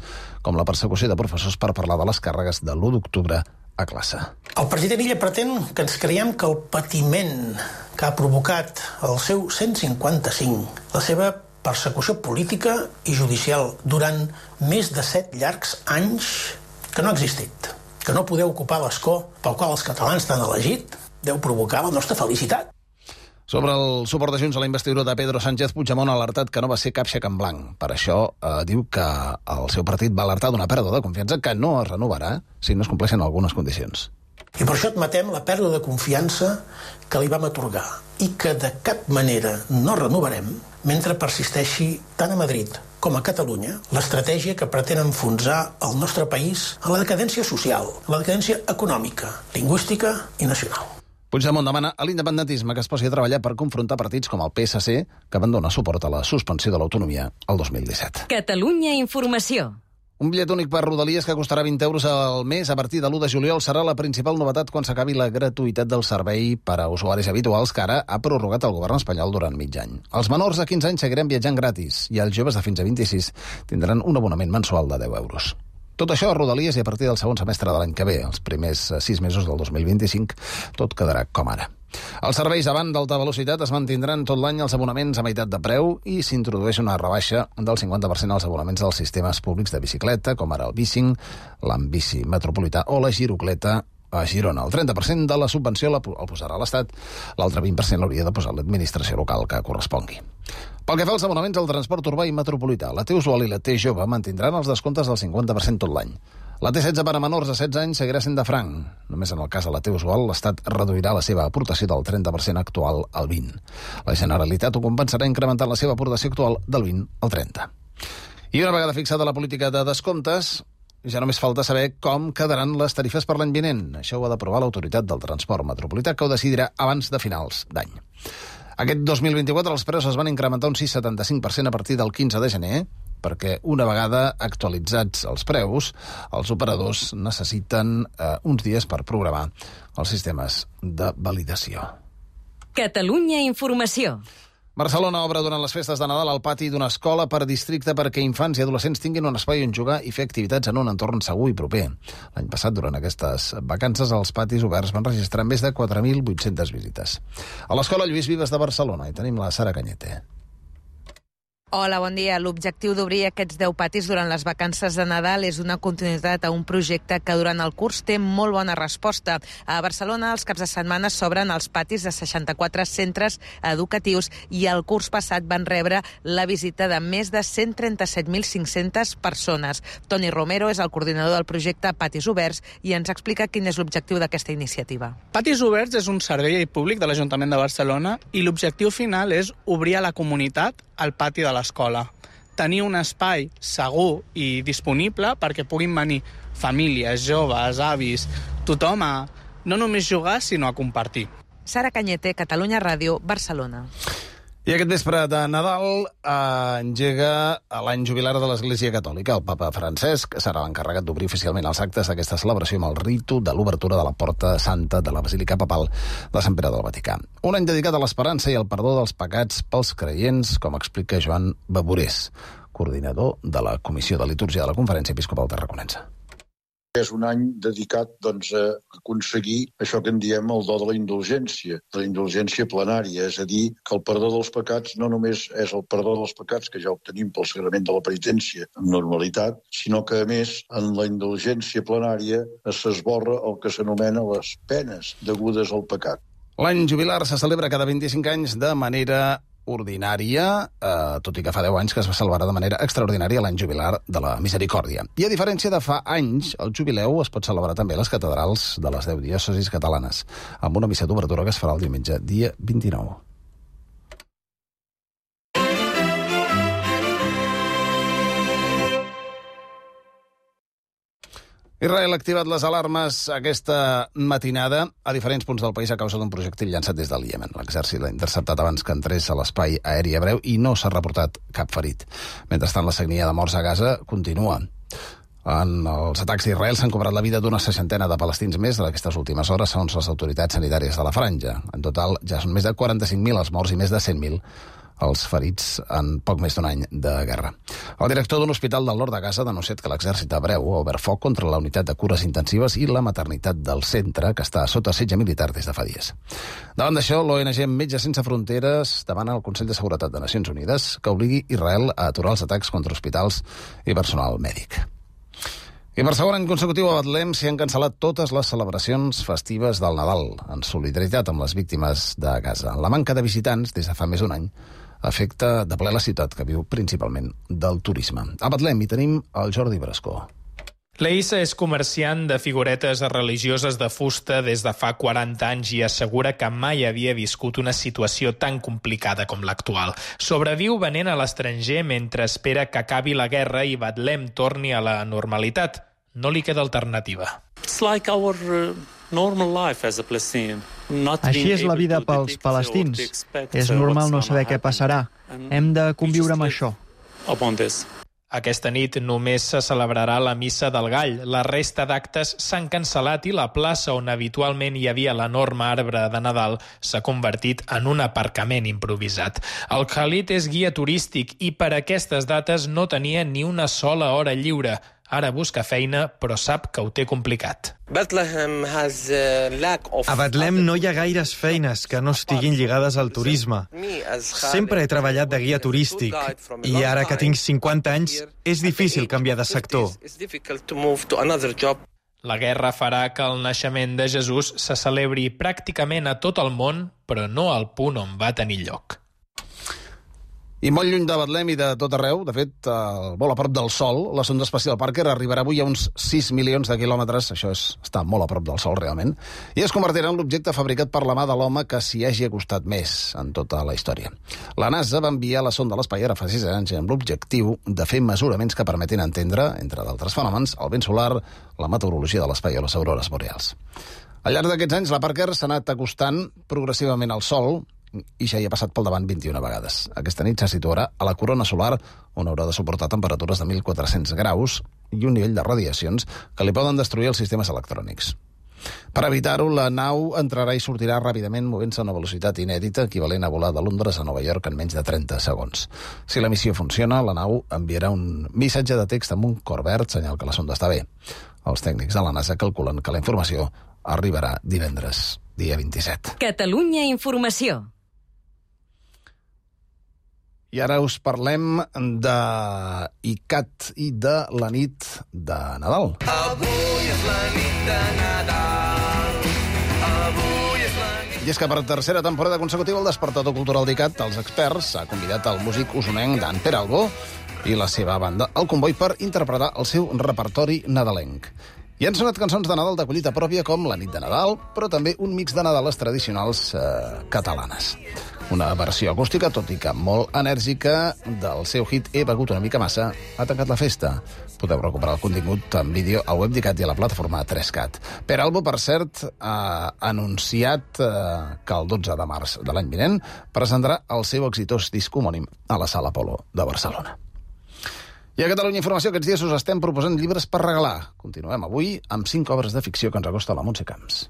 [SPEAKER 3] com la persecució de professors per parlar de les càrregues de l'1 d'octubre a classe.
[SPEAKER 7] El president Illa pretén que ens creiem que el patiment que ha provocat el seu 155, la seva persecució política i judicial durant més de 7 llargs anys, que no ha existit, que no podeu ocupar l'escó pel qual els catalans t'han elegit, deu provocar la nostra felicitat.
[SPEAKER 2] Sobre el suport de Junts a la investidura de Pedro Sánchez, Puigdemont ha alertat que no va ser cap xec en blanc. Per això diu que el seu partit va alertar d'una pèrdua de confiança que no es renovarà si no es compleixen algunes condicions.
[SPEAKER 7] I per això admetem la pèrdua de confiança que li vam atorgar i que de cap manera no renovarem mentre persisteixi tant a Madrid com a Catalunya l'estratègia que pretén enfonsar el nostre país a la decadència social, a la decadència econòmica, lingüística i nacional.
[SPEAKER 2] Puigdemont demana a l'independentisme que es posi a treballar per confrontar partits com el PSC, que van donar suport a la suspensió de l'autonomia el 2017.
[SPEAKER 1] Catalunya Informació.
[SPEAKER 2] Un bitllet únic per Rodalies que costarà 20 euros al mes a partir de l'1 de juliol serà la principal novetat quan s'acabi la gratuïtat del servei per a usuaris habituals que ara ha prorrogat el govern espanyol durant mig any. Els menors de 15 anys seguiran viatjant gratis i els joves de fins a 26 tindran un abonament mensual de 10 euros. Tot això a Rodalies i a partir del segon semestre de l'any que ve, els primers 6 mesos del 2025, tot quedarà com ara. Els serveis avant d'alta velocitat es mantindran tot l'any els abonaments a meitat de preu i s'introdueix una rebaixa del 50% als abonaments dels sistemes públics de bicicleta, com ara el Bicing, l'Ambici Metropolità o la Girocleta a Girona. El 30% de la subvenció el posarà l'Estat, l'altre 20% l'hauria de posar l'administració local que correspongui. Pel que fa als abonaments al transport urbà i metropolità, la T-Usual i la T-Jove mantindran els descomptes del 50% tot l'any. La T16 per a menors de 16 anys seguirà sent de franc. Només en el cas de la T-Usual, l'Estat reduirà la seva aportació del 30% actual al 20%. La Generalitat ho compensarà incrementant la seva aportació actual del 20% al 30%. I una vegada fixada la política de descomptes, ja només falta saber com quedaran les tarifes per l'any vinent. Això ho ha d'aprovar l'Autoritat del Transport Metropolità, que ho decidirà abans de finals d'any. Aquest 2024 els preus es van incrementar un 6,75% a partir del 15 de gener, perquè una vegada actualitzats els preus, els operadors necessiten uns dies per programar els sistemes de validació.
[SPEAKER 1] Catalunya Informació.
[SPEAKER 2] Barcelona obre durant les festes de Nadal al pati d'una escola per districte perquè infants i adolescents tinguin un espai on jugar i fer activitats en un entorn segur i proper. L'any passat, durant aquestes vacances, els patis oberts van registrar més de 4.800 visites. A l'Escola Lluís Vives de Barcelona hi tenim la Sara Cañete.
[SPEAKER 11] Hola, bon dia. L'objectiu d'obrir aquests 10 patis durant les vacances de Nadal és una continuïtat a un projecte que durant el curs té molt bona resposta. A Barcelona, els caps de setmana s'obren els patis de 64 centres educatius i el curs passat van rebre la visita de més de 137.500 persones. Toni Romero és el coordinador del projecte Patis Oberts i ens explica quin és l'objectiu d'aquesta iniciativa.
[SPEAKER 12] Patis Oberts és un servei públic de l'Ajuntament de Barcelona i l'objectiu final és obrir a la comunitat al pati de l'escola. Tenir un espai segur i disponible perquè puguin venir famílies, joves, avis, tothom a no només jugar, sinó a compartir.
[SPEAKER 11] Sara Cañete, Catalunya Ràdio, Barcelona.
[SPEAKER 2] I aquest vespre de Nadal engega l'any jubilar de l'Església Catòlica. El papa Francesc serà l'encarregat d'obrir oficialment els actes d'aquesta celebració amb el ritu de l'obertura de la Porta Santa de la Basílica Papal de Sant Pere del Vaticà. Un any dedicat a l'esperança i al perdó dels pecats pels creients, com explica Joan Baburés, coordinador de la Comissió de Litúrgia de la Conferència Episcopal Tarraconense.
[SPEAKER 13] És un any dedicat a aconseguir això que en diem el do de la indulgència plenària, és a dir, que el perdó dels pecats no només és el perdó dels pecats que ja obtenim pel sagrament de la penitència amb normalitat, sinó que, a més, en la indulgència plenària s'esborra el que s'anomena les penes degudes al pecat.
[SPEAKER 2] L'any jubilar se celebra cada 25 anys de manera ordinària, tot i que fa 10 anys que es va celebrar de manera extraordinària l'any jubilar de la Misericòrdia. I a diferència de fa anys, el jubileu es pot celebrar també a les catedrals de les 10 diòcesis catalanes, amb una missa d'obertura que es farà el diumenge, dia 29. Israel ha activat les alarmes aquesta matinada a diferents punts del país a causa d'un projectil llançat des del Iemen. L'exèrcit l'ha interceptat abans que entrés a l'espai aeri hebreu i no s'ha reportat cap ferit. Mentrestant, la sagnia de morts a Gaza continua. En els atacs d'Israel s'han cobrat la vida d'una 60 de palestins més d'aquestes últimes hores, segons les autoritats sanitàries de la franja. En total, ja són més de 45.000 els morts i més de 100.000 els ferits en poc més d'un any de guerra. El director d'un hospital del nord de Gaza ha denunciat que l'exèrcit hebreu ha obert foc contra la unitat de cures intensives i la maternitat del centre, que està sota setge militar des de fa dies. Davant d'això, l'ONG Metges Sense Fronteres demana al Consell de Seguretat de Nacions Unides que obligui Israel a aturar els atacs contra hospitals i personal mèdic. I per segon any consecutiu a Betlem s'hi han cancel·lat totes les celebracions festives del Nadal, en solidaritat amb les víctimes de Gaza. La manca de visitants, des de fa més d'un any, afecta de ple la ciutat, que viu principalment del turisme. A Betlem hi tenim el Jordi Brascó.
[SPEAKER 14] La Issa és comerciant de figuretes religioses de fusta des de fa 40 anys i assegura que mai havia viscut una situació tan complicada com l'actual. Sobreviu venent a l'estranger mentre espera que acabi la guerra i Betlem torni a la normalitat. No li queda alternativa.
[SPEAKER 15] It's like our normal life as a Palestinian.
[SPEAKER 16] Així és la vida pels palestins. És normal no saber què passarà. Hem de conviure amb això.
[SPEAKER 14] Aquesta nit només se celebrarà la Missa del Gall. La resta d'actes s'han cancel·lat i la plaça on habitualment hi havia l'enorme arbre de Nadal s'ha convertit en un aparcament improvisat. El Khalid és guia turístic i per aquestes dates no tenia ni una sola hora lliure. Ara busca feina, però sap que ho té complicat.
[SPEAKER 27] A Betlem no hi ha gaires feines que no estiguin lligades al turisme. Sempre he treballat de guia turístic i ara que tinc 50 anys és difícil canviar de sector.
[SPEAKER 14] La guerra farà que el naixement de Jesús se celebri pràcticament a tot el món, però no al punt on va tenir lloc.
[SPEAKER 2] I molt lluny de Betlem i de tot arreu, de fet, molt a prop del Sol, la sonda espacial Parker arribarà avui a uns 6 milions de quilòmetres, això està molt a prop del Sol realment, i es convertirà en l'objecte fabricat per la mà de l'home que s'hi hagi acostat més en tota la història. La NASA va enviar la sonda a l'espai ara fa 6 anys amb l'objectiu de fer mesuraments que permetin entendre, entre d'altres fenòmens, el vent solar, la meteorologia de l'espai o les aurores boreals. Al llarg d'aquests anys, la Parker s'ha anat acostant progressivament al Sol, i ja hi ha passat pel davant 21 vegades. Aquesta nit se situarà a la corona solar, on haurà de suportar temperatures de 1.400 graus i un nivell de radiacions que li poden destruir els sistemes electrònics. Per evitar-ho, la nau entrarà i sortirà ràpidament movent-se a una velocitat inèdita, equivalent a volar de Londres a Nova York en menys de 30 segons. Si la missió funciona, la nau enviarà un missatge de text amb un cor verd, senyal que la sonda està bé. Els tècnics de la NASA calculen que la informació arribarà divendres, dia 27.
[SPEAKER 1] Catalunya Informació.
[SPEAKER 2] I ara us parlem de ICAT i de la nit de Nadal.
[SPEAKER 17] Avui és la nit de Nadal. Avui és la nit...
[SPEAKER 2] I és que per tercera temporada consecutiva el Despertador Cultural d'ICAT, els experts, ha convidat el músic usonenc Dan Peralbo i la seva banda, el Comboi, per interpretar el seu repertori nadalenc. I han sonat cançons de Nadal de collita pròpia com La nit de Nadal, però també un mix de Nadales tradicionals catalanes. Una versió acústica, tot i que molt enèrgica, del seu hit He begut una mica massa, ha tancat la festa. Podeu recuperar el contingut en vídeo al web d'ICAT i a la plataforma 3CAT. Peralbo, per cert, ha anunciat que el 12 de març de l'any vinent presentarà el seu exitós disc homònim a la Sala Apolo de Barcelona. I a Catalunya Informació aquests dies us estem proposant llibres per regalar. Continuem avui amb 5 obres de ficció que ens acosta la Montse Camps.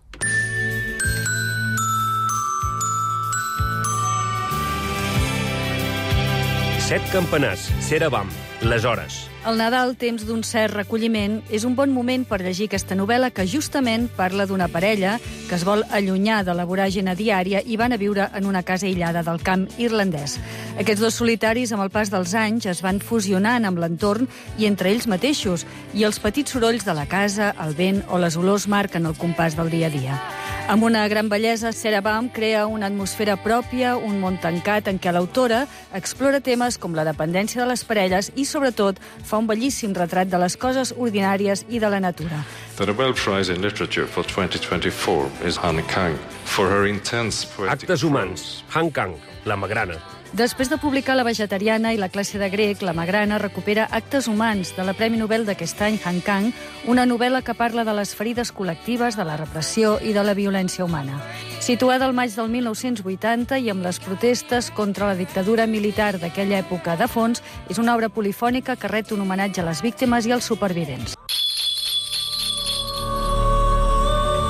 [SPEAKER 18] Set campanars, Cerebam, les hores.
[SPEAKER 20] El Nadal, temps d'un cert recolliment, és un bon moment per llegir aquesta novel·la que justament parla d'una parella que es vol allunyar de la voràgine diària i van a viure en una casa aïllada del camp irlandès. Aquests dos solitaris, amb el pas dels anys, es van fusionant amb l'entorn i entre ells mateixos, i els petits sorolls de la casa, el vent o les olors marquen el compàs del dia a dia. Amb una gran bellesa, Cerebam crea una atmosfera pròpia, un món tancat en què l'autora explora temes com la dependència de les parelles i, sobretot, fa un bellíssim retrat de les coses ordinàries i de la natura.
[SPEAKER 21] The Nobel Prize in Literature for 2024 is Han Kang for her intense poetic...
[SPEAKER 18] Actes humans, Han Kang, la magrana.
[SPEAKER 20] Després de publicar La vegetariana i La classe de grec, la Magrana recupera Actes humans, de la Premi Nobel d'aquest any, Han Kang, una novel·la que parla de les ferides col·lectives, de la repressió i de la violència humana. Situada al maig del 1980 i amb les protestes contra la dictadura militar d'aquella època de fons, és una obra polifònica que ret un homenatge a les víctimes i als supervivents.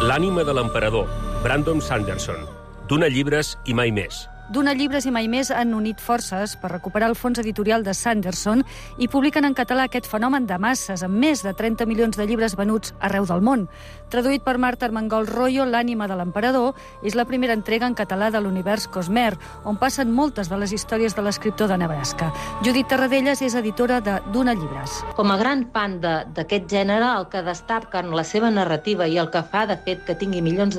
[SPEAKER 18] L'ànima de l'emperador, Brandon Sanderson. D'una llibres i mai més.
[SPEAKER 20] D'una llibres i mai més han unit forces per recuperar el fons editorial de Sanderson i publiquen en català aquest fenomen de masses, amb més de 30 milions de llibres venuts arreu del món. Traduït per Marta Armengol Royo, L'ànima de l'emperador és la primera entrega en català de l'univers Cosmer, on passen moltes de les històries de l'escriptor de Nebraska. Judit Tarradellas és editora de D'una llibres.
[SPEAKER 22] Com a gran fan d'aquest gènere, el que destaca en la seva narrativa i el que fa, de fet, que tingui milions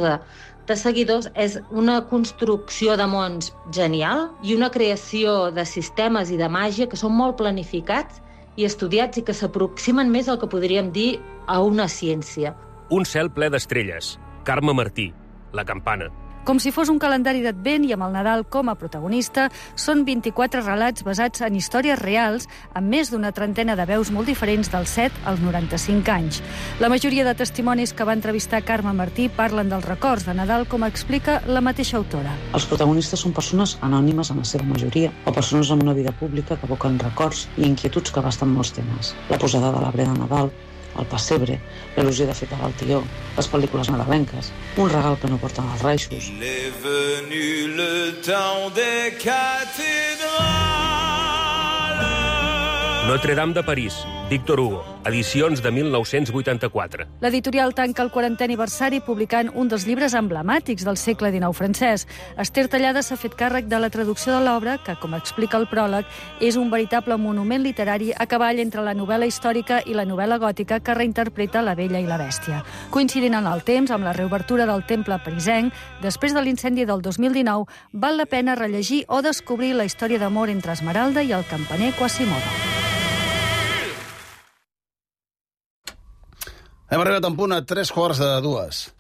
[SPEAKER 22] de seguidors és una construcció de mons genial i una creació de sistemes i de màgia que són molt planificats i estudiats i que s'aproximen més al que podríem dir a una ciència.
[SPEAKER 18] Un cel ple d'estrelles. Carme Martí, La campana.
[SPEAKER 20] Com si fos un calendari d'advent i amb el Nadal com a protagonista, són 24 relats basats en històries reals amb més d'una trentena de veus molt diferents dels 7 als 95 anys. La majoria de testimonis que va entrevistar Carme Martí parlen dels records de Nadal, com explica la mateixa autora.
[SPEAKER 23] Els protagonistes són persones anònimes en la seva majoria, o persones amb una vida pública que evoquen records i inquietuds que abasten molts temes. La posada de l'arbre de Nadal, el pessebre, l'il·lusió de feta del tió, les pel·lícules nadalenques, un regal que no porten els reixos.
[SPEAKER 17] Il est venu le temps des cathédrales.
[SPEAKER 18] Notre-Dame de París, Victor Hugo, edicions de 1984.
[SPEAKER 20] L'editorial tanca el 40è aniversari publicant un dels llibres emblemàtics del segle XIX francès. Esther Tallada s'ha fet càrrec de la traducció de l'obra, que, com explica el pròleg, és un veritable monument literari a cavall entre la novel·la històrica i la novel·la gòtica que reinterpreta La Bella i la Bèstia. Coincidint en el temps amb la reobertura del temple parisenc, després de l'incendi del 2019, val la pena rellegir o descobrir la història d'amor entre Esmeralda i el campaner Quasimodo.
[SPEAKER 2] Hem arribat en punt a 3:45.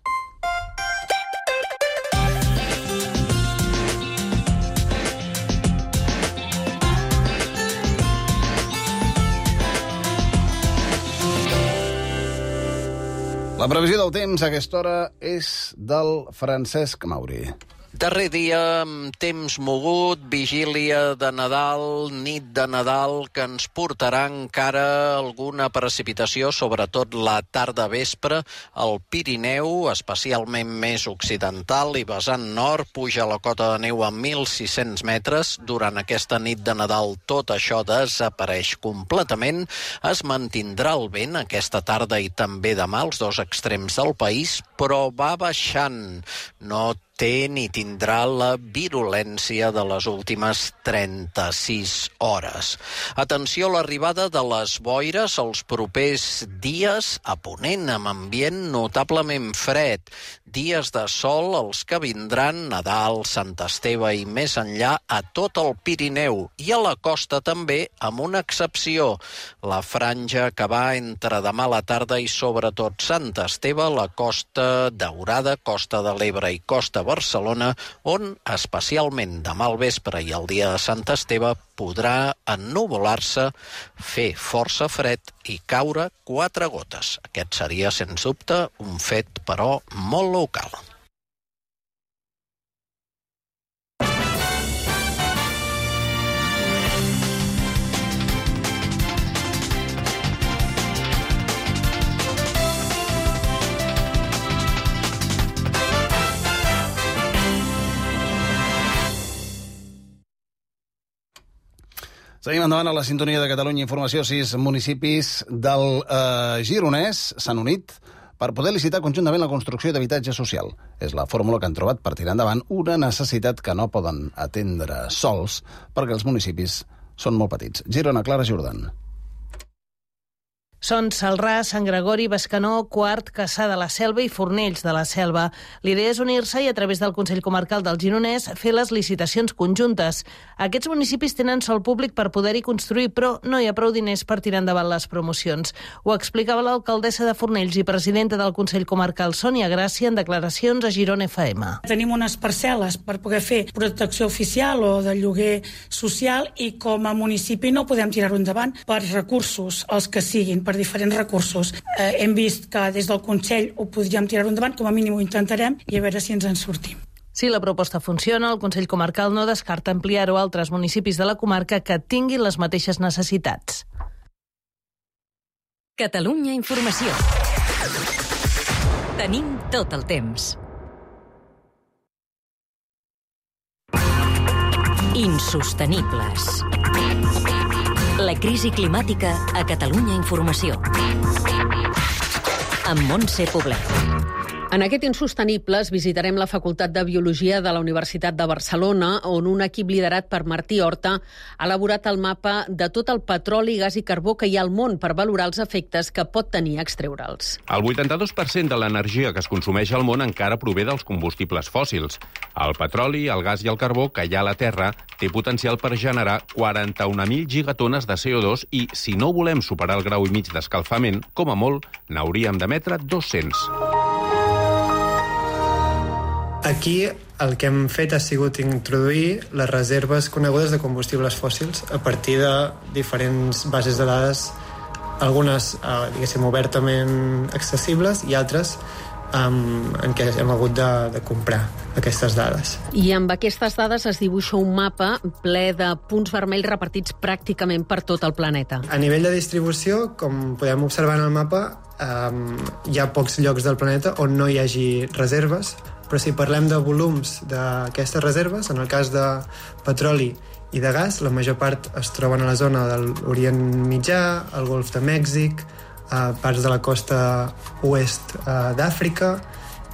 [SPEAKER 2] La previsió del temps a aquesta hora és del Francesc Mauri.
[SPEAKER 4] Darrer dia, temps mogut, vigília de Nadal, nit de Nadal, que ens portarà encara alguna precipitació, sobretot la tarda-vespre. Al Pirineu, especialment més occidental i vessant nord, puja la cota de neu a 1.600 metres. Durant aquesta nit de Nadal tot això desapareix completament. Es mantindrà el vent aquesta tarda i també demà als dos extrems del país, però va baixant. No té ni tindrà la virulència de les últimes 36 hores. Atenció a l'arribada de les boires els propers dies a Ponent, amb ambient notablement fred. Dies de sol els que vindran, Nadal, Sant Esteve i més enllà, a tot el Pirineu i a la costa també, amb una excepció. La franja que va entre demà a la tarda i sobretot Sant Esteve, la Costa Daurada, Costa de l'Ebre i Costa Barcelona, on especialment demà al vespre i el dia de Sant Esteve podrà ennuvolar-se, fer força fred i caure 4 gotes. Aquest seria, sens dubte, un fet, però, molt local.
[SPEAKER 2] Seguim endavant a la sintonia de Catalunya Informació. 6 municipis del Gironès s'han unit per poder licitar conjuntament la construcció d'habitatge social. És la fórmula que han trobat per tirar endavant una necessitat que no poden atendre sols perquè els municipis són molt petits. Girona, Clara Jordan.
[SPEAKER 5] Són Celrà, Sant Gregori, Bescanó, Quart, Cassà de la Selva i Fornells de la Selva. L'idea és unir-se i, a través del Consell Comarcal del Gironès, fer les licitacions conjuntes. Aquests municipis tenen sòl públic per poder-hi construir, però no hi ha prou diners per tirar endavant les promocions. Ho explicava l'alcaldessa de Fornells i presidenta del Consell Comarcal, Sònia Gràcia, en declaracions a Girona FM.
[SPEAKER 6] Tenim unes parcel·les per poder fer protecció oficial o de lloguer social i com a municipi no podem tirar-ho endavant per recursos, els que siguin, per diferents recursos. Hem vist que des del Consell ho podríem tirar endavant, com a mínim ho intentarem, i a veure si ens en sortim.
[SPEAKER 5] Si la proposta funciona, el Consell Comarcal no descarta ampliar-ho a altres municipis de la comarca que tinguin les mateixes necessitats.
[SPEAKER 1] Catalunya Informació. Tenim tot el temps. Insostenibles. La crisi climàtica a Catalunya Informació. Amb Montse Poblet.
[SPEAKER 19] En aquest Insostenibles visitarem la Facultat de Biologia de la Universitat de Barcelona, on un equip liderat per Martí Horta ha elaborat el mapa de tot el petroli, gas i carbó que hi ha al món per valorar els efectes que pot tenir extreure'ls.
[SPEAKER 24] El 82% de l'energia que es consumeix al món encara prové dels combustibles fòssils. El petroli, el gas i el carbó que hi ha a la Terra té potencial per generar 41.000 gigatones de CO2 i, si no volem superar el grau i mig d'escalfament, com a molt, n'hauríem d'emetre 200.
[SPEAKER 25] Aquí el que hem fet ha sigut introduir les reserves conegudes de combustibles fòssils a partir de diferents bases de dades, algunes, diguéssim, obertament accessibles i altres en què hem hagut de comprar aquestes dades.
[SPEAKER 19] I amb aquestes dades es dibuixa un mapa ple de punts vermells repartits pràcticament per tot el planeta.
[SPEAKER 25] A nivell de distribució, com podem observar en el mapa, hi ha pocs llocs del planeta on no hi hagi reserves. però si parlem de volums d'aquestes reserves, en el cas de petroli i de gas, la major part es troben a la zona de l'Orient Mitjà, el Golf de Mèxic, parts de la costa oest d'Àfrica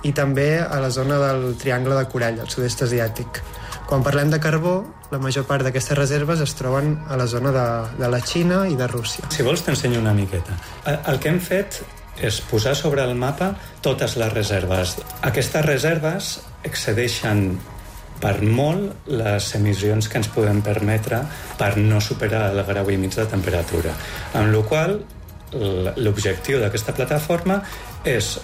[SPEAKER 25] i també a la zona del Triangle de Corall, al sud-est asiàtic. Quan parlem de carbó, la major part d'aquestes reserves es troben a la zona de la Xina i de Rússia.
[SPEAKER 3] Si vols t'ensenyo una miqueta. El que hem fet és posar sobre el mapa totes les reserves. Aquestes reserves excedeixen per molt les emissions que ens podem permetre per no superar el grau i mig de temperatura. Amb la qual cosa, l'objectiu d'aquesta plataforma és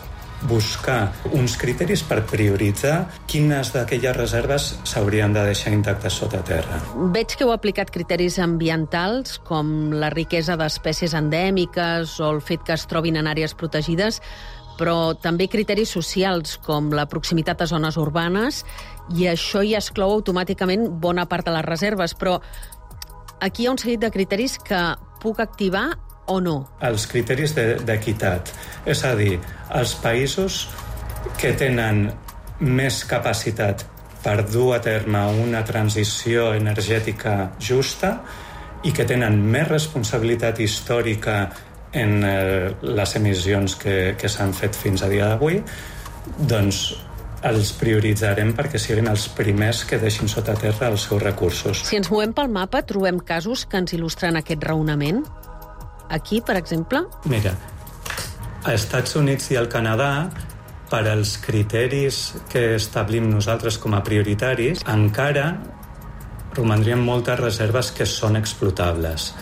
[SPEAKER 3] buscar uns criteris per prioritzar quines d'aquelles reserves s'haurien de deixar intactes sota terra.
[SPEAKER 19] Veig que heu aplicat criteris ambientals, com la riquesa d'espècies endèmiques o el fet que es trobin en àrees protegides, però també criteris socials, com la proximitat a zones urbanes, i això ja exclou automàticament bona part de les reserves. Però aquí hi ha un seguit de criteris que puc activar o no?
[SPEAKER 3] Els criteris d'equitat. És a dir, els països que tenen més capacitat per dur a terme una transició energètica justa i que tenen més responsabilitat històrica en les emissions que s'han fet fins a dia d'avui, doncs els prioritzarem perquè siguin els primers que deixin sota terra els seus recursos.
[SPEAKER 19] Si ens movem pel mapa, trobem casos que ens il·lustren aquest raonament? Aquí, per exemple?
[SPEAKER 3] Mira, a Estats Units i al Canadà, per als criteris que establim nosaltres com a prioritaris, encara romandrien moltes reserves que són explotables.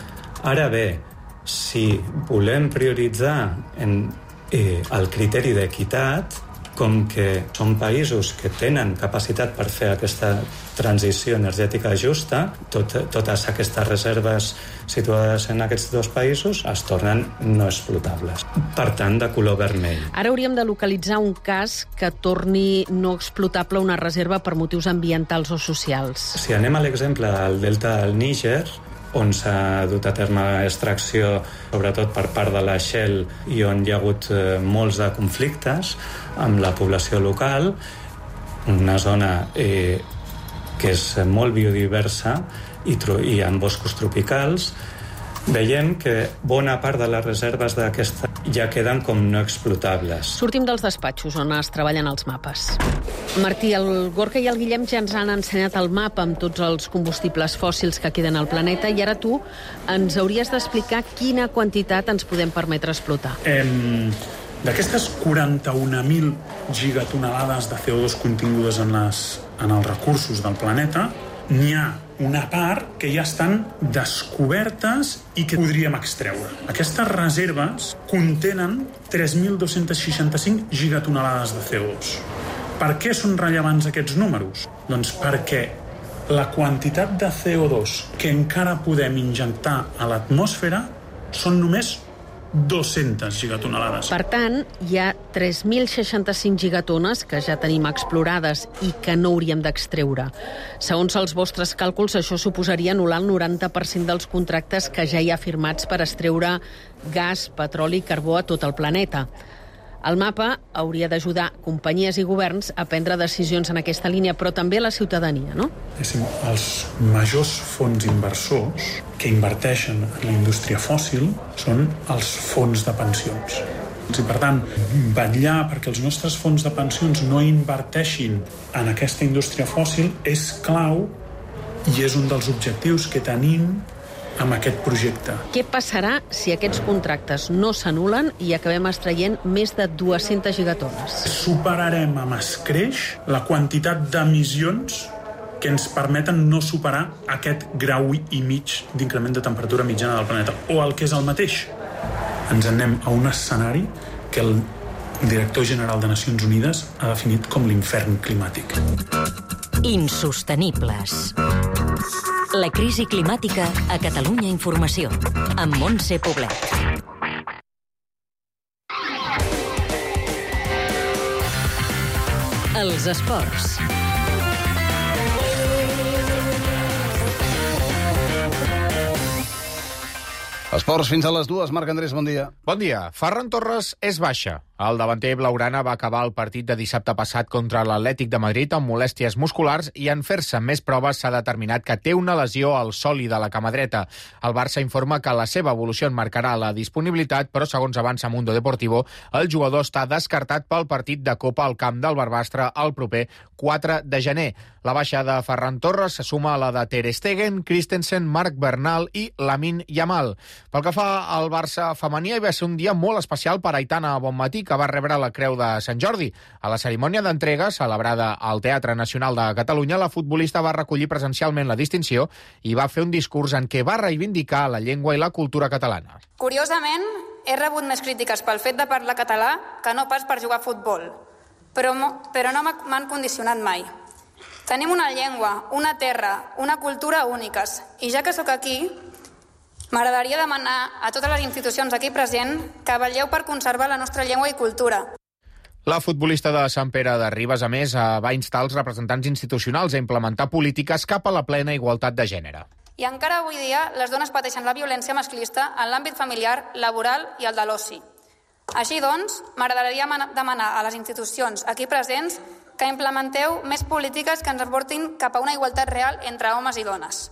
[SPEAKER 3] Ara bé, si volem prioritzar el criteri d'equitat, com que són països que tenen capacitat per fer aquesta transició energètica justa, totes aquestes reserves situades en aquests dos països es tornen no explotables. Per tant, de color vermell.
[SPEAKER 19] Ara hauríem de localitzar un cas que torni no explotable una reserva per motius ambientals o socials.
[SPEAKER 3] Si anem a l'exemple del delta del Níger, on s'ha dut a terme extracció, sobretot per part de la Shell, i on hi ha hagut molts de conflictes amb la població local, una zona que és molt biodiversa i amb boscos tropicals, veiem que bona part de les reserves d'aquesta ja queden com no explotables.
[SPEAKER 19] Sortim dels despatxos on es treballen els mapes. Martí, el Gorka i el Guillem ja ens han ensenyat el mapa amb tots els combustibles fòssils que queden al planeta i ara tu ens hauries d'explicar quina quantitat ens podem permetre explotar.
[SPEAKER 7] D'aquestes 41.000 gigatonelades de CO2 contingudes en els recursos del planeta, n'hi ha una part que ja estan descobertes i que podríem extreure. Aquestes reserves contenen 3.265 gigatonelades de CO2. Per què són rellevants aquests números? Doncs perquè la quantitat de CO2 que encara podem injectar a l'atmosfera són només 200 gigatonelades.
[SPEAKER 19] Per tant, hi ha 3.065 gigatones que ja tenim explorades i que no hauríem d'extreure. Segons els vostres càlculs, això suposaria anul·lar el 90% dels contractes que ja hi ha firmats per extreure gas, petroli i carbó a tot el planeta. El mapa hauria d'ajudar companyies i governs a prendre decisions en aquesta línia, però també la ciutadania, no?
[SPEAKER 7] Els majors fons inversors que inverteixen en la indústria fòssil són els fons de pensions. I, per tant, vetllar perquè els nostres fons de pensions no inverteixin en aquesta indústria fòssil és clau i és un dels objectius que tenim amb aquest projecte.
[SPEAKER 19] Què passarà si aquests contractes no s'anulen i acabem extraient més de 200 gigatones?
[SPEAKER 7] Superarem amb escreix la quantitat d'emissions que ens permeten no superar aquest grau i mig d'increment de temperatura mitjana del planeta. O el que és el mateix, ens anem a un escenari que el director general de Nacions Unides ha definit com l'infern climàtic.
[SPEAKER 1] Insostenibles. La crisi climàtica a Catalunya Informació, amb Montse Poblet. Els esports.
[SPEAKER 2] Esports fins a les 2. Marc Andrés, bon dia.
[SPEAKER 8] Bon dia. Ferran Torres és baixa. El davanter blaugrana va acabar el partit de dissabte passat contra l'Atlètic de Madrid amb molèsties musculars i en fer-se més proves s'ha determinat que té una lesió al sòli de la cama dreta. El Barça informa que la seva evolució en marcarà la disponibilitat, però segons avança Mundo Deportivo, el jugador està descartat pel partit de Copa al camp del Barbastre el proper 4 de gener. La baixa de Ferran Torres se suma a la de Ter Stegen, Christensen, Marc Bernal i Lamine Yamal. Pel que fa al Barça femení, hi va ser un dia molt especial per Aitana Bonmatí, que va rebre la Creu de Sant Jordi. A la cerimònia d'entrega, celebrada al Teatre Nacional de Catalunya, la futbolista va recollir presencialment la distinció i va fer un discurs en què va reivindicar la llengua i la cultura catalana.
[SPEAKER 9] Curiosament, he rebut més crítiques pel fet de parlar català que no pas per jugar a futbol, però no m'han condicionat mai. Tenim una llengua, una terra, una cultura úniques, i ja que sóc aquí, m'agradaria demanar a totes les institucions aquí presents que vetlleu per conservar la nostra llengua i cultura.
[SPEAKER 8] La futbolista de Sant Pere de Ribes, a més, va instar els representants institucionals a implementar polítiques cap a la plena igualtat de gènere.
[SPEAKER 9] I encara avui dia les dones pateixen la violència masclista en l'àmbit familiar, laboral i el de l'oci. Així doncs, m'agradaria demanar a les institucions aquí presents que implementeu més polítiques que ens aportin cap a una igualtat real entre homes i dones.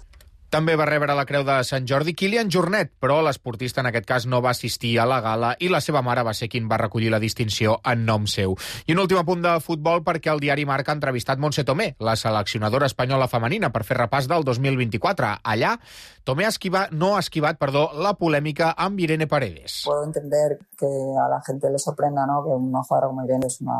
[SPEAKER 8] També va rebre la Creu de Sant Jordi Kilian Jornet, però l'esportista en aquest cas no va assistir a la gala i la seva mare va ser qui va recollir la distinció en nom seu. I un últim apunt de futbol perquè el diari Marca ha entrevistat Montse Tomé, la seleccionadora espanyola femenina, per fer repàs del 2024. Allà, Tomé no ha esquivat la polèmica amb Irene Paredes.
[SPEAKER 10] Puedo entender que a la gente le sorprenda, ¿no?, que una jugadora como Irene es una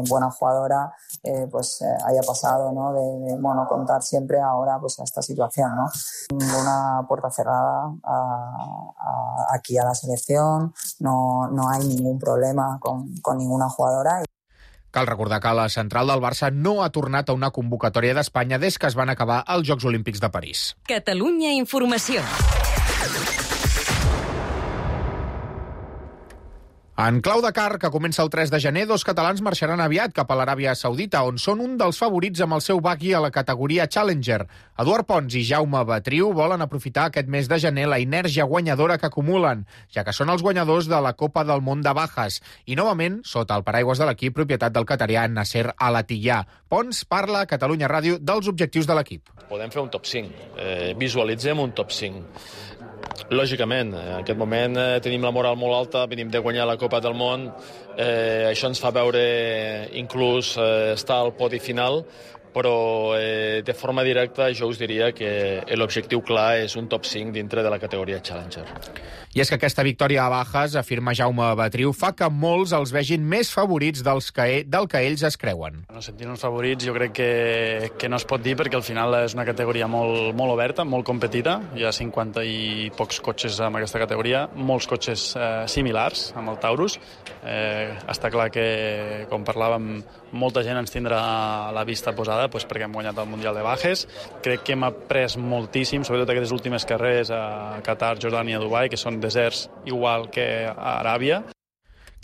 [SPEAKER 10] buena jugadora, haya pasado, ¿no?, de contar siempre ahora a esta situación, ¿no? Ninguna puerta cerrada aquí a la selección, no hay ningún problema con ninguna jugadora.
[SPEAKER 8] Cal recordar que la central del Barça no ha tornat a una convocatòria d'Espanya des que es van acabar els Jocs Olímpics de París.
[SPEAKER 1] Catalunya Informació.
[SPEAKER 8] En clau Dakar, que comença el 3 de gener, 2 catalans marxaran aviat cap a l'Aràbia Saudita, on són un dels favorits amb el seu buggy a la categoria Challenger. Eduard Pons i Jaume Batriu volen aprofitar aquest mes de gener la inèrgia guanyadora que acumulen, ja que són els guanyadors de la Copa del Món de Bajas, i novament sota el paraigües de l'equip propietat del catarià Nasser Al-Attiyah. Pons parla a Catalunya Ràdio dels objectius de l'equip.
[SPEAKER 11] Podem fer un top 5, visualitzem un top 5. Lògicament, en aquest moment tenim la moral molt alta, venim de guanyar la Copa del Món, això ens fa veure inclús estar al podi final, però de forma directa jo us diria que l'objectiu clar és un top 5 dintre de la categoria Challenger.
[SPEAKER 8] I és que aquesta victòria a Bajas, afirma Jaume Batriu, fa que molts els vegin més favorits del que ells es creuen.
[SPEAKER 12] Sentir-nos favorits jo crec que no es pot dir perquè al final és una categoria molt oberta, molt competida. Hi ha 50 i pocs cotxes en aquesta categoria, molts cotxes similars amb el Taurus. Està clar que, com parlàvem, molta gent ens tindrà la vista posada perquè hem guanyat el Mundial de Bajes. Crec que hem après moltíssim, sobretot aquestes últimes carreres a Qatar, Jordània, Dubai, que són deserts igual que a Aràbia.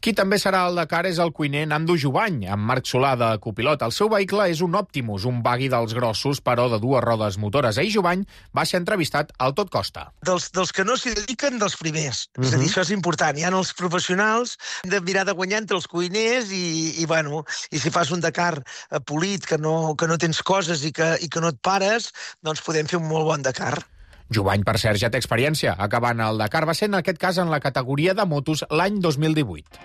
[SPEAKER 8] Qui també serà al Dakar és el cuiner Nando Jubany, amb Marc Solà de copilot. El seu vehicle és un Optimus, un buggy dels grossos, però de 2 rodes motores. Ahir Jubany va ser entrevistat al Tot Costa.
[SPEAKER 13] Dels que no s'hi dediquen, dels primers. És a dir, això és important. Hi ha els professionals, hem de mirar de guanyar entre els cuiners i si fas un Dakar polit, que no tens coses i que no et pares, doncs podem fer un molt bon Dakar.
[SPEAKER 8] Jubany, per cert, ja té experiència. Acabant el Dakar va ser, en aquest cas, en la categoria de motos l'any 2018.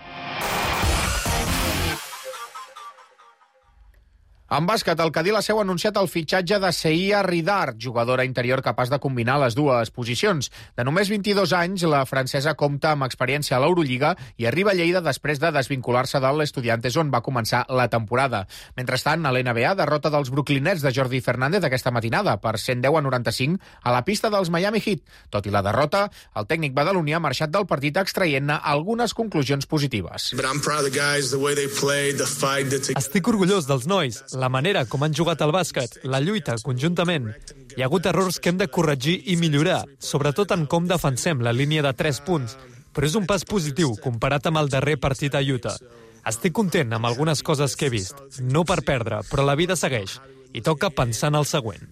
[SPEAKER 8] En bàsquet, el Cadí la Seu ha anunciat el fitxatge de Seia Ridart, jugadora interior capaç de combinar les dues posicions. De només 22 anys, la francesa compta amb experiència a l'Eurolliga i arriba a Lleida després de desvincular-se de l'Estudiantes, on va començar la temporada. Mentrestant, a l'NBA, derrota dels Brooklynets de Jordi Fernández aquesta matinada per 110-95 a la pista dels Miami Heat. Tot i la derrota, el tècnic badaloní ha marxat del partit extraient-ne algunes conclusions positives.
[SPEAKER 26] Estic orgullós dels nois. La manera com han jugat al bàsquet, la lluita conjuntament. Hi ha hagut errors que hem de corregir i millorar, sobretot en com defensem la línia de 3 punts, però és un pas positiu comparat amb el darrer partit a Utah. Estic content amb algunes coses que he vist, no per perdre, però la vida segueix i toca pensar en el següent.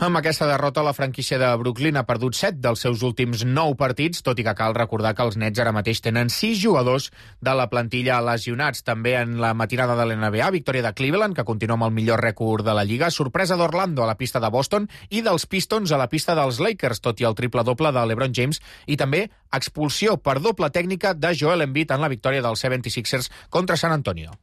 [SPEAKER 8] Amb aquesta derrota, la franquícia de Brooklyn ha perdut 7 dels seus últims 9 partits, tot i que cal recordar que els Nets ara mateix tenen 6 jugadors de la plantilla lesionats. També en la matinada de l'NBA, victòria de Cleveland, que continua amb el millor rècord de la Lliga, sorpresa d'Orlando a la pista de Boston i dels Pistons a la pista dels Lakers, tot i el triple-doble de LeBron James, i també expulsió per doble tècnica de Joel Embiid en la victòria dels 76ers contra San Antonio.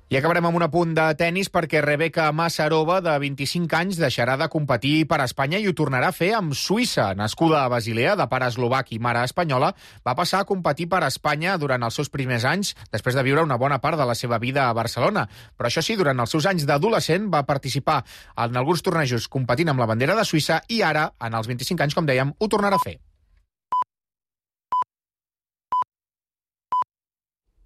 [SPEAKER 8] I acabarem amb un apunt de tennis perquè Rebeka Masarova, de 25 anys, deixarà de competir per Espanya i ho tornarà a fer amb Suïssa. Nascuda a Basilea, de pare eslovac i mare espanyola, va passar a competir per Espanya durant els seus primers anys, després de viure una bona part de la seva vida a Barcelona. Però això sí, durant els seus anys d'adolescent va participar en alguns tornejos competint amb la bandera de Suïssa i ara, en els 25 anys, com dèiem, ho tornarà a fer.